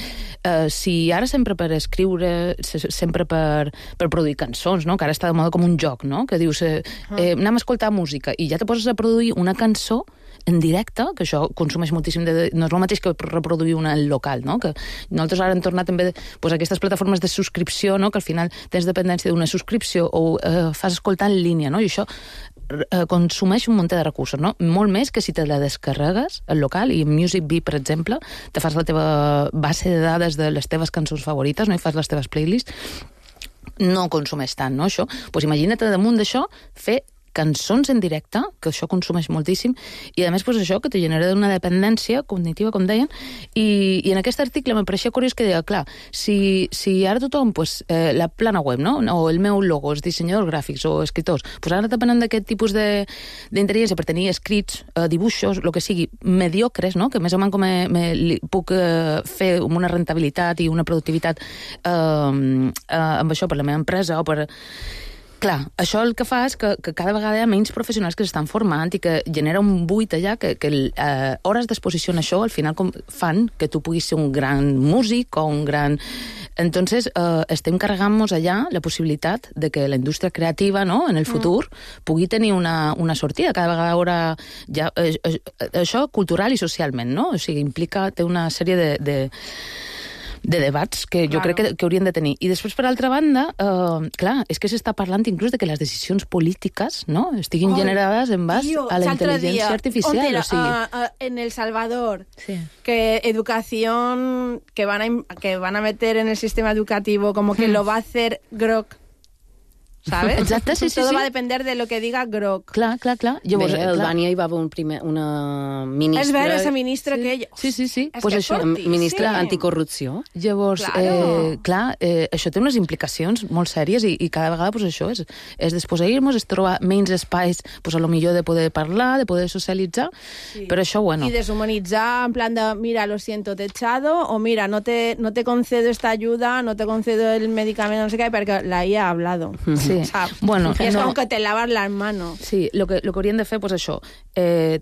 si ara sempre per escriure, sempre per produir cançons, no? Que ara està de moda com un joc, no? Que dius, anem a escoltar música, i ja te poses a produir una cançó en directe, que això consumeix moltíssim no és el mateix que reproduir una local, no? Que nosaltres ara hem tornat també a aquestes plataformes de subscripció, no? Que al final tens dependència d'una subscripció o fas escoltar en línia, no? I això consumeix un munt de recursos, no? Molt més que si te la descarregues al local, i en MusicBee, per exemple, te fas la teva base de dades de les teves cançons favorites, no? I fas les teves playlists, no consumeix tant, no? Això, doncs imagina't damunt d'això fer cançons en directe, que això consumeix moltíssim, i a més doncs això que te genera una dependència cognitiva, com deien, i en aquest article me pareixia curiós que deia, clar, si ara tothom, la plana web, no? O el meu logo, els dissenyadors gràfics o escriptors, doncs ara depenen d'aquest tipus d'intel·ligència per tenir escrits, dibuixos, el que sigui, mediocres, no? Que més o menys com puc fer amb una rentabilitat i una productivitat amb això per la meva empresa o per... Clar, això el que fa és que cada vegada hi ha menys professionals que s'estan formant i que genera un buit allà que hores d'exposició en això al final fan que tu puguis ser un gran músic o un gran... Entonces, estem carregant-nos allà la possibilitat de que la indústria creativa, no?, en el futur pugui tenir una sortida. Cada vegada haurà... Això cultural i socialment, no? O sigui, té una sèrie de debats que jo crec que haurien de tenir. I després, per altra banda, clar, és que s'està parlant inclús de que les decisions polítiques, no?, estiguin generades en base a la intel·ligència artificial. En El Salvador, que educación que van a meter en el sistema educativo como que lo va a hacer Grok, ¿sabes? Exacte, sí. Todo va a depender de lo que diga Grok. Clar. Llavors, a Albània hi va haver una ministra... És vera, esa ministra que ella... Sí. Pues això, ministra anticorrupció. Llavors, clar, això té unes implicacions molt sèries i cada vegada, pues això, és desposseir-nos, és trobar menys espais, pues a lo millor de poder parlar, de poder socialitzar, però això, bueno... I deshumanitzar, en plan de, mira, lo siento, te he echado, o mira, no te concedo esta ayuda, no te concedo el medicamento, no sé qué, perquè la IA ha hablado. Sí. Bueno, és com que te laves les manos. Sí, el que haurien de fer, doncs això,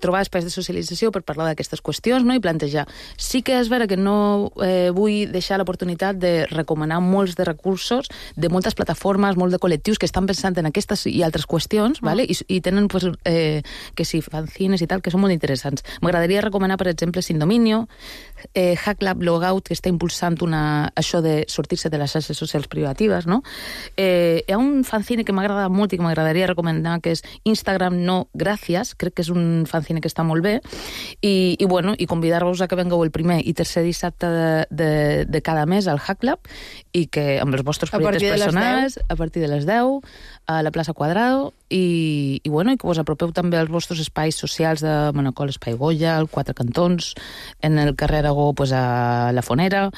trobar espais de socialització per parlar d'aquestes qüestions, no?, i plantejar. Sí que és vera que no vull deixar l'oportunitat de recomanar molts de recursos de moltes plataformes, molts de col·lectius que estan pensant en aquestes i altres qüestions, ¿vale? I tenen, pues, que sí, fanzines i tal, que són molt interessants. M'agradaria recomanar, per exemple, Sin Dominio, Hacklab Logout, que està impulsant això de sortir-se de les xarxes socials privatives, no? Hi ha un fanzine que m'agrada molt i que m'agradaria recomanar, que és Instagram no gràcies, crec que és un fanzine que està molt bé, i convidar-vos a que vengueu el primer i tercer dissabte de cada mes al Hacklab, i que amb els vostres projectes personals, a partir de les 10, a la plaça Quadrado, i que us apropeu també als vostres espais socials de Manacor, Espai Goya, al Quatre Cantons, en el carrer Aragó, a la Fonera,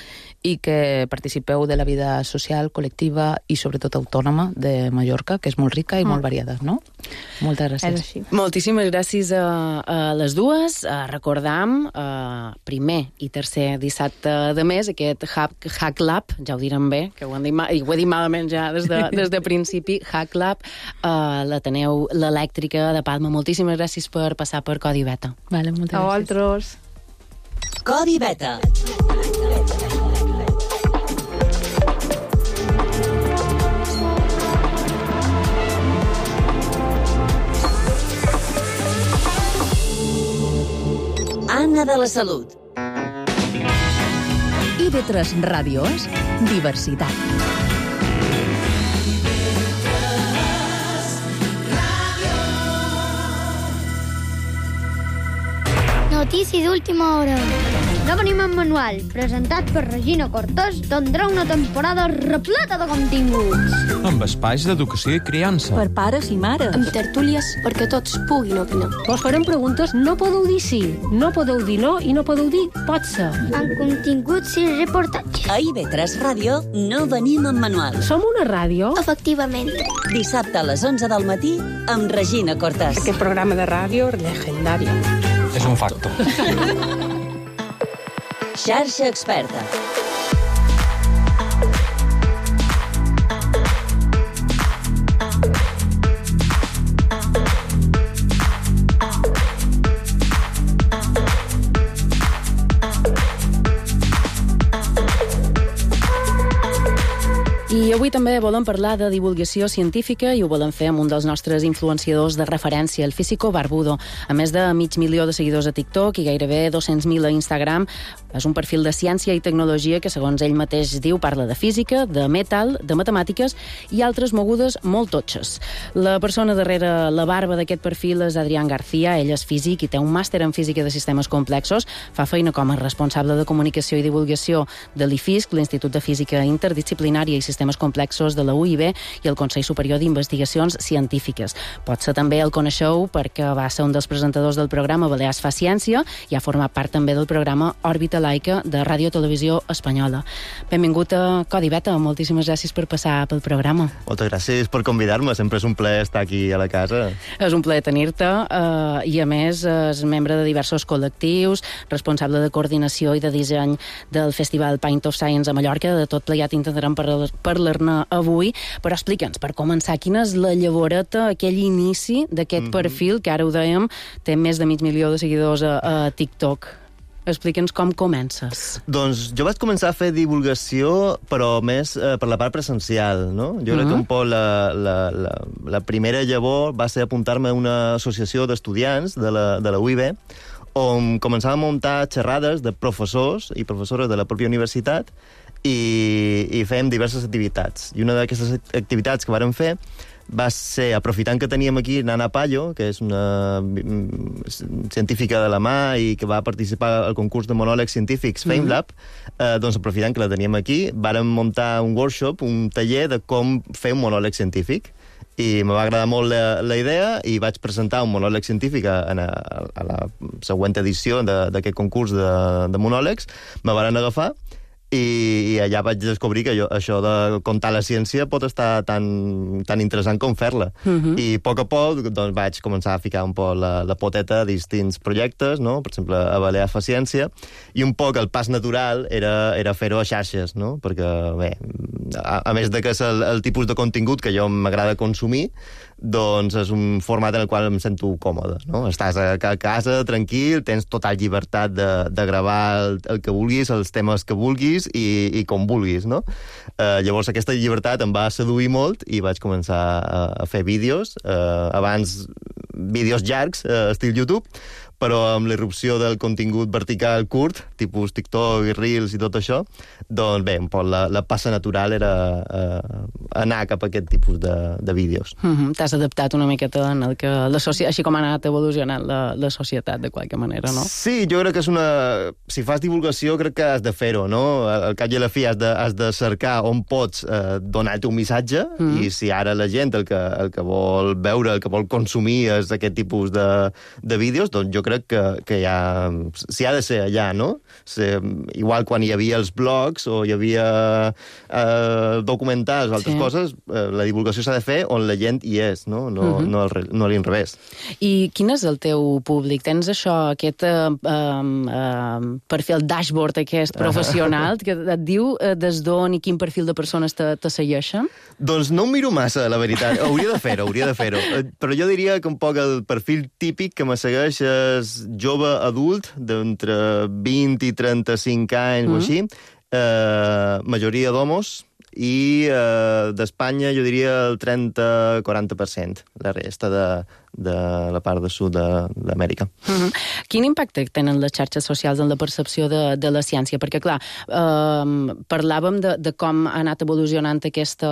i que participeu de la vida social, col·lectiva i sobretot autònoma de Mallorca, que és molt rica i molt variada, no? Moltes gràcies. Moltíssimes gràcies a les dues. Recordam, primer i tercer dissabte de mes, aquest Hacklab, ja ho direm bé, que ho he dit malament ja des de principi, Hacklab, l'Ateneu l'Elèctrica de Palma. Moltíssimes gràcies per passar per Codi Beta. Vale, moltes gràcies. A vosaltres. Codi Beta. Anna de la Salut. IB3 Ràdio és diversitat. No Notícia d'última hora. No venim en manual, presentat per Regina Cortés, tindrà una temporada repleta de continguts. Amb espais d'educació i criança. Per pares i mares. Amb tertúlies perquè tots puguin opinar. Vos farem preguntes, no podeu dir sí, no podeu dir no i no podeu dir pot ser. Amb continguts i reportatges. A IB3 Ràdio no venim en manual. Som una ràdio? Efectivament. Dissabte a les 11 del matí amb Regina Cortés. Aquest programa de ràdio legendari. És un facto. Xarxa Experta. I avui també volem parlar de divulgació científica i ho volem fer amb un dels nostres influenciadors de referència, el Físico Barbudo. A més de 500.000 de seguidors a TikTok i gairebé 200.000 a Instagram, és un perfil de ciència i tecnologia que, segons ell mateix diu, parla de física, de metal, de matemàtiques i altres mogudes molt totxes. La persona darrere la barba d'aquest perfil és Adrián García. Ell és físic i té un màster en física de sistemes complexos. Fa feina com a responsable de comunicació i divulgació de l'IFISC, l'Institut de Física Interdisciplinària i Sistemes Complexos de la UIB i el Consell Superior d'Investigacions Científiques. Potser també el coneixeu perquè va ser un dels presentadors del programa Balears fa Ciència i ha format part també del programa Òrbita Laica de Ràdio Televisió Espanyola. Benvingut a Codi Beta, moltíssimes gràcies per passar pel programa. Moltes gràcies per convidar-me, sempre és un plaer estar aquí a la casa. És un plaer tenir-te i a més és membre de diversos col·lectius, responsable de coordinació i de disseny del Festival Paint of Science a Mallorca. De tot plegat intentarem parlar-ne avui, però explica'ns, per començar, quina és la llavoreta, aquell inici d'aquest perfil, que ara ho dèiem, té més de 500.000 de seguidors a TikTok. Explica'ns com comences. Doncs jo vaig començar a fer divulgació, però més per la part presencial, no? Jo crec que un poc la primera llavor va ser apuntar-me a una associació d'estudiants de la UIB, on començava a muntar xerrades de professors i professores de la pròpia universitat i fèiem diverses activitats. I una d'aquestes activitats que vàrem fer va ser, aprofitant que teníem aquí Nana Pallo, que és una científica de la mà i que va participar al concurs de monòlegs científics FameLab, doncs aprofitant que la teníem aquí, vàrem muntar un workshop, un taller de com fer un monòleg científic. I me va agradar molt la idea i vaig presentar un monòleg científic a la següent edició d'aquest concurs de monòlegs. Me van agafar i allà vaig descobrir que això de contar la ciència pot estar tan interessant com fer-la. I a poc doncs, vaig començar a ficar un poc la poteta a distints projectes, no? Per exemple, a Balears fa Ciència, i un poc el pas natural era fer-ho a xarxes, no? Perquè, bé, a més de que és el tipus de contingut que jo m'agrada consumir, doncs és un format en el qual em sento còmode, no? Estàs a casa, tranquil, tens total llibertat de gravar el que vulguis, els temes que vulguis i com vulguis, no? Llavors aquesta llibertat em va seduir molt i vaig començar a fer vídeos, abans vídeos llargs, estil YouTube, però amb l'irrupció del contingut vertical curt, tipus TikTok i Reels i tot això, doncs bé, un poc la passa natural era anar cap a aquest tipus de vídeos. T'has adaptat una miqueta en el que així com ha anat evolucionant la societat, de qualque manera, no? Sí, jo crec que és si fas divulgació, crec que has de fer-ho, no? Al cap i a la fi has de cercar on pots donar-te un missatge, i si ara la gent el que vol veure, el que vol consumir és aquest tipus de vídeos, doncs jo crec que ja s'hi ha de ser allà, no? Igual quan hi havia els blogs o hi havia documentals o altres coses, la divulgació s'ha de fer on la gent hi és, no? No a l'inrevés. I quin és el teu públic? Tens això, aquest perfil dashboard aquest professional que et diu des d'on i quin perfil de persones te segueixen? Doncs no ho miro massa, la veritat. Hauria de fer-ho. Però jo diria que un poc el perfil típic que me segueix és jove adult, d'entre 20 i 35 anys o així, majoria d'homos, i d'Espanya jo diria el 30-40%, la resta la part de sud d'Amèrica. Quin impacte tenen les xarxes socials en la percepció de la ciència? Perquè, clar, parlàvem de com ha anat evolucionant aquesta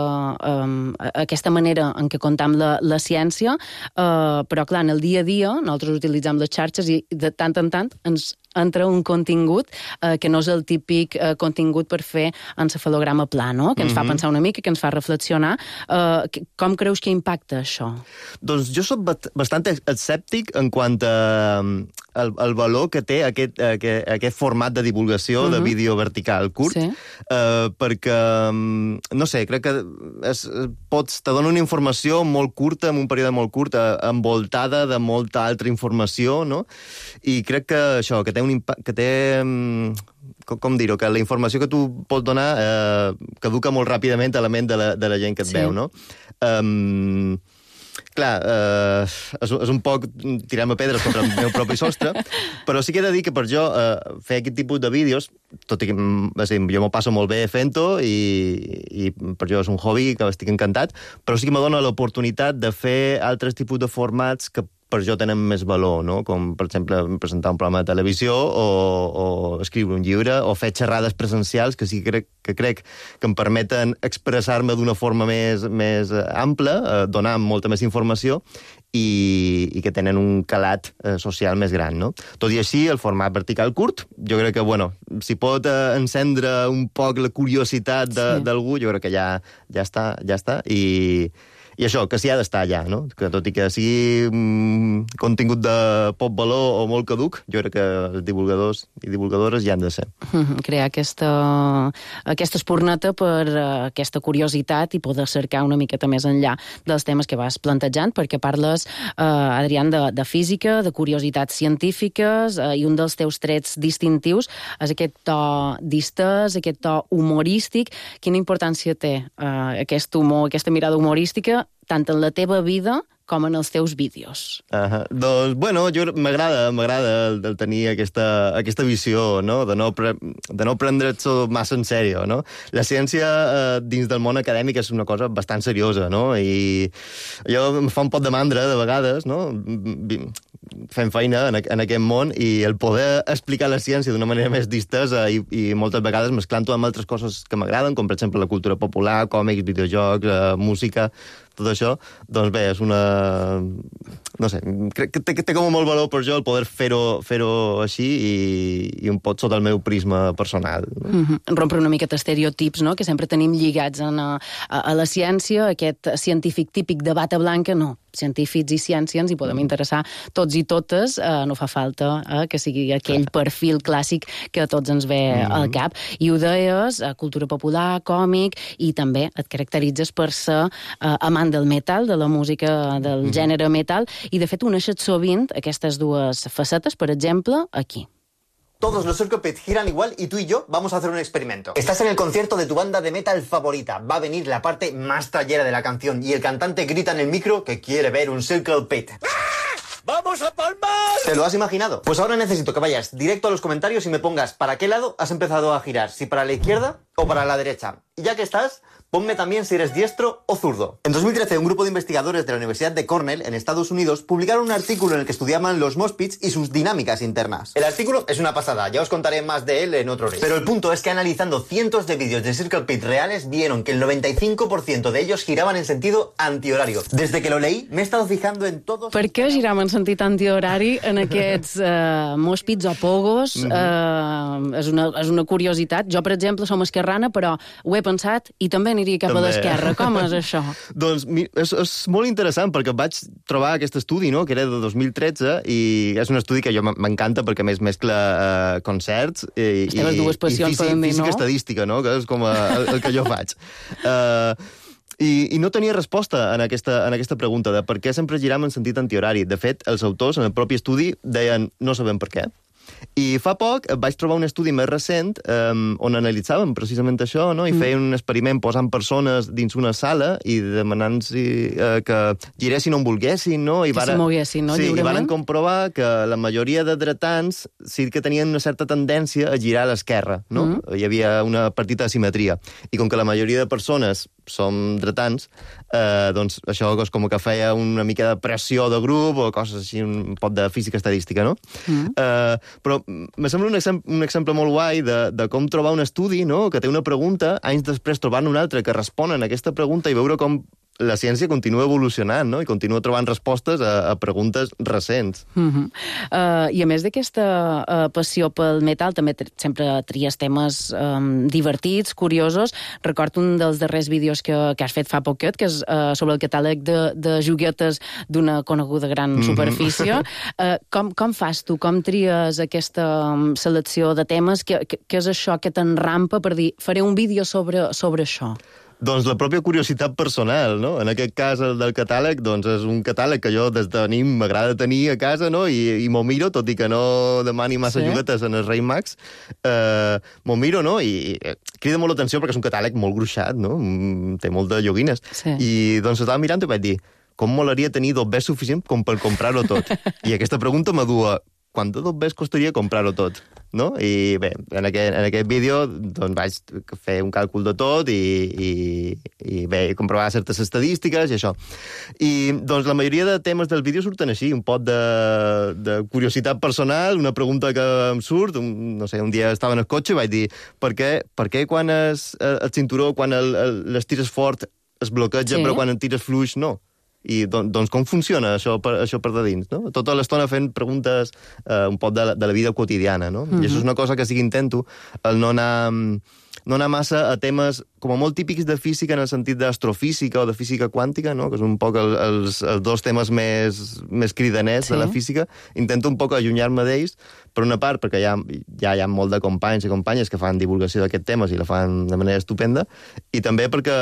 manera en què comptam la ciència, però, clar, en el dia a dia nosaltres utilitzem les xarxes i de tant en tant ens entra un contingut que no és el típic contingut per fer encefalograma pla, no? Que ens fa pensar una mica, que ens fa reflexionar. Com creus que impacta això? Doncs jo soc bastant escèptic en quant al valor que té aquest format de divulgació de vídeo vertical curt, perquè, no sé, crec que te dona una informació molt curta, en un període molt curt, envoltada de molta altra informació, no? I crec que això, que té un impacte, que té... com dir-ho, que la informació que tu pots donar caduca molt ràpidament a la ment de la gent que et veu, no? Clar, és un poc tirar-me pedres contra el meu propi sostre, però sí que he de dir que per jo fer aquest tipus de vídeos, tot i que jo m'ho passo molt bé fent-ho i per jo és un hobby que estic encantat, però sí que me dona l'oportunitat de fer altres tipus de formats que per jo tenen més valor, no? Com, per exemple, presentar un programa de televisió o escriure un llibre o fer xerrades presencials que sí que crec que em permeten expressar-me d'una forma més ampla, donar molta més informació i que tenen un calat social més gran, no? Tot i així, el format vertical curt, jo crec que, bueno, si pot encendre un poc la curiositat d'algú, jo crec que ja està, i això, que s'hi ha d'estar allà, no? Que tot i que sigui contingut de poc valor o molt caduc, jo crec que els divulgadors i divulgadores hi han de ser. Crear aquesta espurneta per aquesta curiositat i poder cercar una miqueta més enllà dels temes que vas plantejant, perquè parles, Adrián, de física, de curiositats científiques, i un dels teus trets distintius és aquest to distès, aquest to humorístic. Quina importància té aquest humor, aquesta mirada humorística, tant en la teva vida com en els teus vídeos? Doncs, bueno, m'agrada el tenir aquesta visió, no? De no prendre't massa en sèrio, no? La ciència dins del món acadèmic és una cosa bastant seriosa, no? I jo em fa un pot de mandra, de vegades, no? Fem feina en aquest món i el poder explicar la ciència d'una manera més distesa i moltes vegades mesclant-ho amb altres coses que m'agraden, com per exemple la cultura popular, còmics, videojocs, música, tot això, doncs bé, és una... No sé, crec que té com molt valor per jo el poder fer-ho així i un pot sota el meu prisma personal. Rompre una miqueta estereotips, no?, que sempre tenim lligats a la ciència, aquest científic típic de bata blanca, no. Científics i ciència ens hi podem interessar tots i totes, no fa falta que sigui aquell perfil clàssic que a tots ens ve al cap. I ho deies, cultura popular, còmic, i també et caracteritzes per ser amant del metal, de la música del gènere metal, i de fet uneixes sovint aquestes dues facetes, per exemple, aquí. Todos los Circle Pit giran igual y tú y yo vamos a hacer un experimento. Estás en el concierto de tu banda de metal favorita. Va a venir la parte más trallera de la canción y el cantante grita en el micro que quiere ver un Circle Pit. ¡Vamos a palmar! ¿Te lo has imaginado? Pues ahora necesito que vayas directo a los comentarios y me pongas para qué lado has empezado a girar, si para la izquierda o para la derecha. Y ya que estás, ponme también si eres diestro o zurdo. En 2013, un grupo de investigadores de la Universidad de Cornell, en Estados Unidos, publicaron un artículo en el que estudiaban los mosh pits y sus dinámicas internas. El artículo es una pasada, ya os contaré más de él en otro reel. Pero el punto es que analizando cientos de vídeos de Circle Pit reales, vieron que el 95% de ellos giraban en sentido antihorario. Desde que lo leí, me he estado fijando en todos... Per què giraven en sentit antihorari en aquests mosh pits o pogos? És una curiositat. Jo, per exemple, som esquerrana, però ho he pensat i també aniria cap a l'esquerra. Com és això? Doncs és molt interessant, perquè vaig trobar aquest estudi, no?, que era de 2013, i és un estudi que jo m'encanta perquè més mescla concerts i física estadística, no?, que és com el que jo faig. I no tenia resposta en aquesta pregunta de per què sempre giram en sentit antihorari. De fet, els autors, en el propi estudi, deien no sabem per què. I fa poc vaig trobar un estudi més recent on analitzàvem precisament això, no? I feien un experiment posant persones dins una sala i demanant que giressin on volguessin, no? Que se moguessin, no? Sí, Lliurement. i varen comprovar que la majoria de dretans sí que tenien una certa tendència a girar a l'esquerra, no? Hi havia una petita asimetria. I com que la majoria de persones som dretans, doncs això és com que feia una mica de pressió de grup o coses així, un pot de física estadística, no? Però me sembla un exemple molt guai de com trobar un estudi, no?, que té una pregunta, anys després trobar-ne un altre que responen a aquesta pregunta i veure com la ciència continua evolucionant, no?, i continua trobant respostes a preguntes recents. I a més d'aquesta passió pel metal, també sempre tries temes divertits, curiosos. Recordo un dels darrers vídeos que has fet fa poquet, que és sobre el catàleg de joguetes d'una coneguda gran superfície. Com fas tu? Com tries aquesta selecció de temes? Què és això que t'enrampa per dir, faré un vídeo sobre això? Doncs la pròpia curiositat personal, no? En aquest cas, el del catàleg, doncs és un catàleg que jo des de nin m'agrada tenir a casa, no? I m'ho miro, tot i que no demani massa joguetes en els Reis Mags. M'ho miro, no? I crida molt l'atenció perquè és un catàleg molt gruixat, no? Té molt de joguines. Sí. I doncs estava mirant i vaig dir, com molaria tenir dobbers suficient com per comprar-ho tot? I aquesta pregunta m'adua, quant de dobbers costaria comprar-ho tot? No? I bé, en aquest vídeo doncs, vaig fer un càlcul de tot i bé, comprovar certes estadístiques i això. I doncs la majoria de temes del vídeo surten així, un pot de curiositat personal, una pregunta que em surt, no sé, un dia estava en el cotxe i vaig dir per què quan el cinturó, quan les tires fort es bloqueja, però quan el tires fluix no? I doncs com funciona això per de dins, no? Tota l'estona fent preguntes un poc de la vida quotidiana, no? I això és una cosa que sí que intento, el no anar massa a temes com a molt típics de física en el sentit d'astrofísica o de física quàntica, no? Que és un poc els dos temes més cridaners de la física. Intento un poc allunyar-me d'ells, per una part, perquè ja hi ha molt de companys i companyes que fan divulgació d'aquests temes i la fan de manera estupenda, i també perquè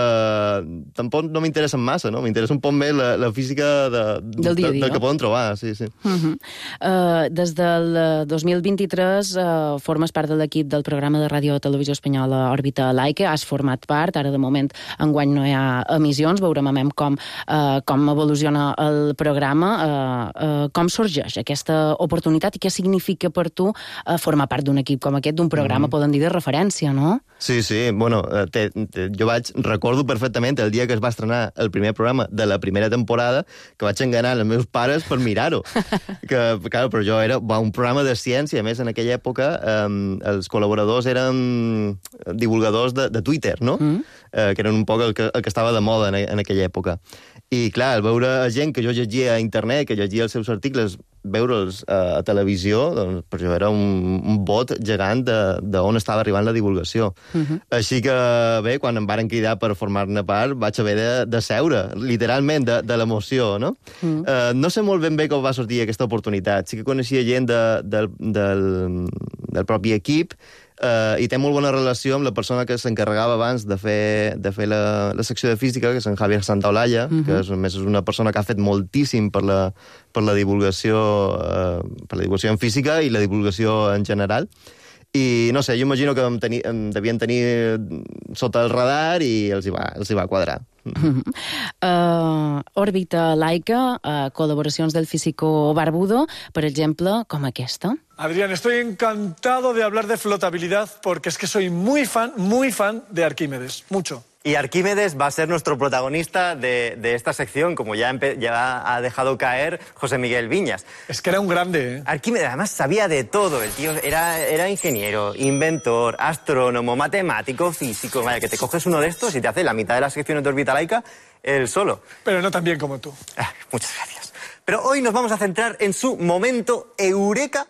tampoc no m'interessen massa, no? M'interessa un poc més la física del dia a dia, del que poden trobar, sí. Des del 2023 formes part de l'equip del programa de ràdio i televisió espanyola Òrbita Laica, has format part, ara de moment enguany no hi ha emissions, veurem com evoluciona el programa, com sorgeix aquesta oportunitat i què significa per tu formar part d'un equip com aquest, d'un programa, poden dir, de referència, no? Sí, bueno, jo recordo perfectament el dia que es va estrenar el primer programa de la primera temporada, que vaig enganar els meus pares per mirar-ho. Clar, però jo era un programa de ciència, a més en aquella època els col·laboradors eren divulgadors de Twitter, no? Que eren un poc el que estava de moda en aquella època. I clar, al veure gent que jo llegia a internet, que llegia els seus articles, veure'ls a televisió, doncs per jo era un bot gegant d'on estava arribant la divulgació. Així que, bé, quan em varen cridar per formar-ne part, vaig haver de seure, literalment, de l'emoció, no? No sé molt ben bé com va sortir aquesta oportunitat. Sí que coneixia gent del propi equip, i té molt bona relació amb la persona que s'encarregava abans de fer la secció de física, que és en Javier Santaolalla, que és una persona que ha fet moltíssim per la divulgació en física i la divulgació en general. I, no sé, jo imagino que em devien tenir sota el radar i els hi va quadrar. Òrbita Laica, colaboraciones del físico Barbudo, por ejemplo, como esta. Adrián, estoy encantado de hablar de flotabilidad porque es que soy muy fan de Arquímedes, mucho. Y Arquímedes va a ser nuestro protagonista de esta sección, como ya ha dejado caer José Miguel Viñas. Es que era un grande, ¿eh? Arquímedes además sabía de todo, el tío era ingeniero, inventor, astrónomo, matemático, físico. Vaya, que te coges uno de estos y te hace la mitad de las secciones de Órbita Laica él solo. Pero no tan bien como tú. Muchas gracias. Pero hoy nos vamos a centrar en su momento eureka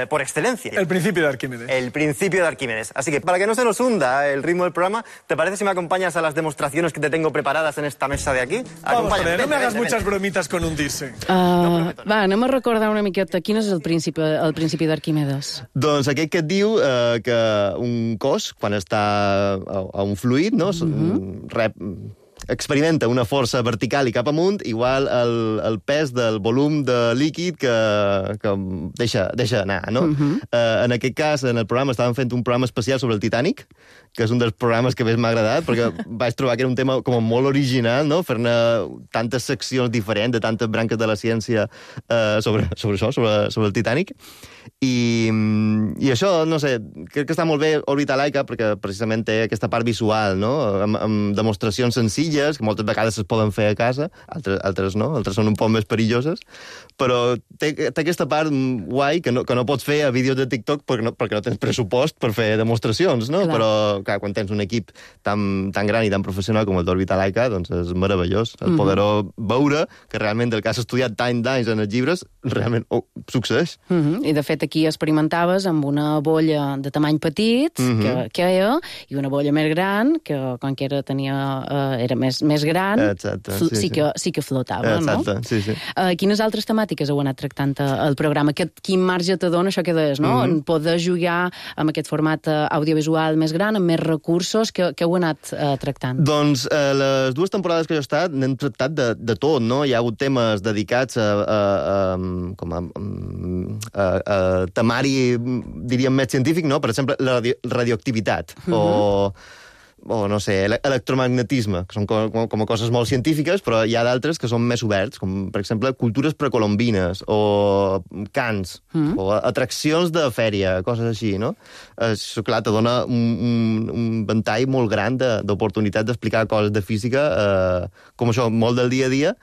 por excelencia. El principio de Arquímedes. El principio de Arquímedes. Así que, para que no se nos hunda el ritmo del programa, ¿te parece si me acompañas a las demostraciones que te tengo preparadas en esta mesa de aquí? Vamos, no me hagas muchas bromitas con hundirse. Va, anem a recordar una miqueta quin és el principi d'Arquímedes. Doncs aquest que et diu que un cos, quan està a un fluid, no? experimenta una força vertical i cap amunt, igual el pes del volum de líquid que deixa anar, no? En aquest cas, en el programa, estàvem fent un programa especial sobre el Titanic, que és un dels programes que més m'ha agradat, perquè vaig trobar que era un tema com molt original, no? Fer-ne tantes seccions diferents de tantes branques de la ciència sobre això, sobre el Titanic. I això, no sé, crec que està molt bé Òrbita Laica perquè precisament té aquesta part visual, no? Amb demostracions senzilles, que moltes vegades es poden fer a casa, altres no, altres són un poc més perilloses, però té aquesta part guai que no pots fer a vídeos de TikTok perquè no tens pressupost per fer demostracions, no? Clar. Però, clar, quan tens un equip tan gran i tan professional com el d'Òrbita Laica, doncs és meravellós el poder veure que realment el que has estudiat d'anys en els llibres realment succeeix. I de fet aquí experimentaves amb una bolla de tamany petit que era, i una bolla més gran que quan que era més gran. Exacte, sí que flotava. Exacte, no? Sí. Quines altres temàtiques heu anat tractant al programa? Quin marge te dona això que deies, no? Poder jugar amb aquest format audiovisual més gran, amb més recursos, que heu anat tractant? Doncs les 2 temporades que jo he estat n'hem tractat de tot, no? Hi ha hagut temes dedicats a temari, diríem, més científic, no? Per exemple, la radioactivitat o no sé, electromagnetisme, que són com coses molt científiques, però hi ha d'altres que són més oberts, com, per exemple, cultures precolombines o cants, o atraccions de fèria, coses així, no? Això, clar, te dona un ventall molt gran d'oportunitats d'explicar coses de física, com això, molt del dia a dia,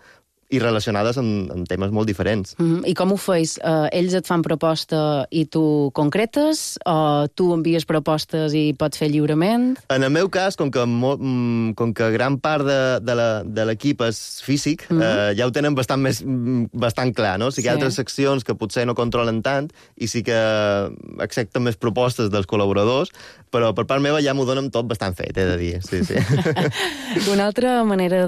i relacionades amb temes molt diferents. I com ho feis? Ells et fan proposta i tu concretes? O tu envies propostes i pots fer lliurement? En el meu cas, com que gran part de l'equip és físic, ja ho tenen bastant clar, no? Sí que hi ha altres seccions que potser no controlen tant i sí que accepten més propostes dels col·laboradors, però per part meva ja m'ho donen tot bastant fet, he de dir. Sí. Una altra manera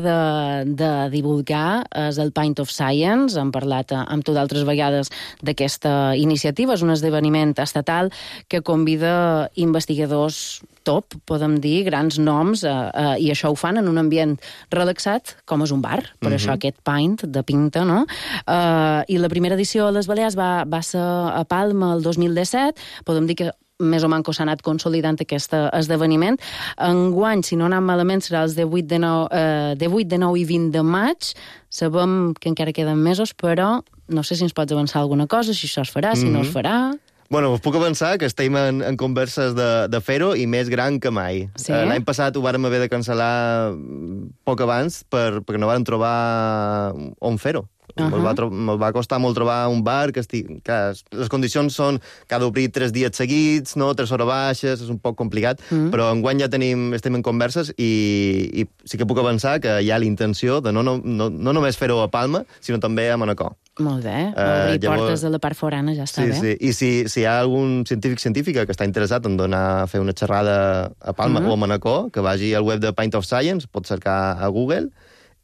de divulgar és el Pint of Science. Hem parlat amb tu d'altres vegades d'aquesta iniciativa. És un esdeveniment estatal que convida investigadors top, podem dir, grans noms, i això ho fan en un ambient relaxat, com és un bar, per això aquest pint de pinta, no? I la primera edició a les Balears va ser a Palma el 2017, podem dir que més o manco s'ha anat consolidant aquest esdeveniment. Enguany, si no anem malament, serà els de 8, de 9 i 20 de maig. Sabem que encara queden mesos, però no sé si ens pots avançar alguna cosa, si això es farà, si no es farà. Bueno, us puc avançar que estem en converses de fer-ho i més gran que mai. Sí? L'any passat ho vàrem haver de cancel·lar poc abans perquè no vàrem trobar on fer-ho. Me'l va costar molt trobar un bar que clar, les condicions són que ha d'obrir 3 dies seguits, no? 3 hores baixes, és un poc complicat, però enguany ja estem en converses i sí que puc avançar que hi ha la intenció de no només fer-ho a Palma, sinó també a Manacor. Molt bé, obrir portes de la part forana ja està bé. Sí, i si hi ha algun científica que està interessat en donar a fer una xerrada a Palma o a Manacor, que vagi al web de Pint of Science, pot cercar a Google,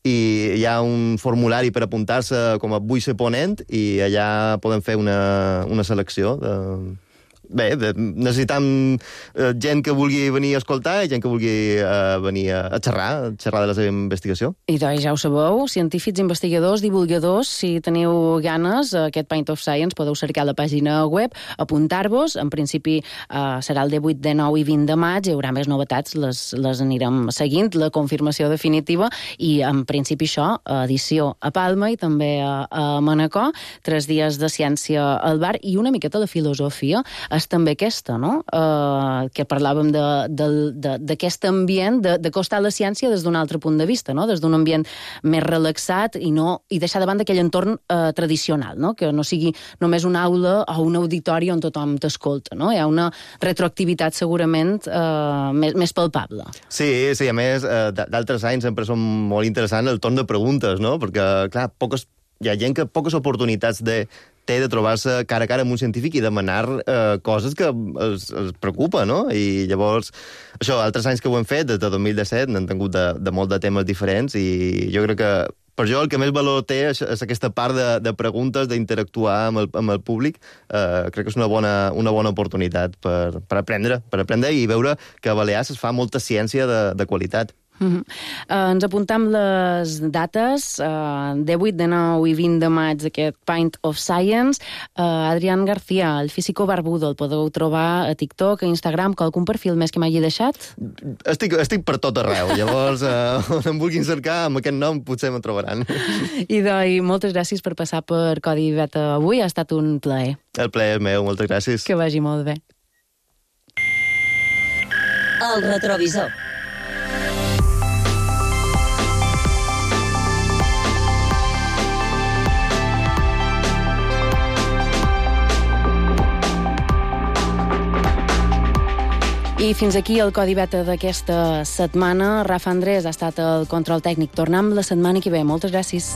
i hi ha un formulari per apuntar-se com a vull ser ponent i allà podem fer una selecció de... Bé, necessitam gent que vulgui venir a escoltar i gent que vulgui venir a xerrar de la seva investigació. I doncs ja ho sabeu, científics, investigadors, divulgadors, si teniu ganes, aquest Pint of Science podeu cercar la pàgina web, apuntar-vos, en principi serà el 18, 19 i 20 de maig, hi haurà més novetats, les anirem seguint, la confirmació definitiva, i en principi això, edició a Palma i també a Manacor, 3 dies de ciència al bar i una miqueta de filosofia, és també aquesta, no? Que parlàvem d'aquest ambient, d'acostar la ciència des d'un altre punt de vista, no? Des d'un ambient més relaxat i deixar davant d'aquell entorn tradicional, no? Que no sigui només una aula o un auditori on tothom t'escolta, no? Hi ha una retroactivitat segurament més palpable. Sí, a més, d'altres anys sempre són molt interessants el torn de preguntes, no? Perquè, clar, hi ha gent que poques oportunitats té de trobar-se cara a cara amb un científic i demanar coses que els preocupa, no? I llavors, això, altres anys que ho hem fet, des de 2017, n'hem tingut de molt de temes diferents i jo crec que per jo el que més valor té és aquesta part de preguntes, d'interactuar amb el públic. Crec que és una bona oportunitat per aprendre i veure que a Balears es fa molta ciència de qualitat. Ens apuntam les dates, de 8, de 9 i 20 de maig d'aquest Pint of Science. Adrián García, el físico barbudo, el podeu trobar a TikTok, a Instagram, qualcun perfil més que m'hagi deixat? Estic per tot arreu, llavors on em vulguin cercar amb aquest nom potser me trobaran. Idoi, moltes gràcies per passar per Codi Beta avui, ha estat un plaer. El plaer és meu, moltes gràcies. Que vagi molt bé. El retrovisor. I fins aquí el Codi Beta d'aquesta setmana. Rafa Andrés ha estat el control tècnic. Tornem la setmana que ve. Moltes gràcies.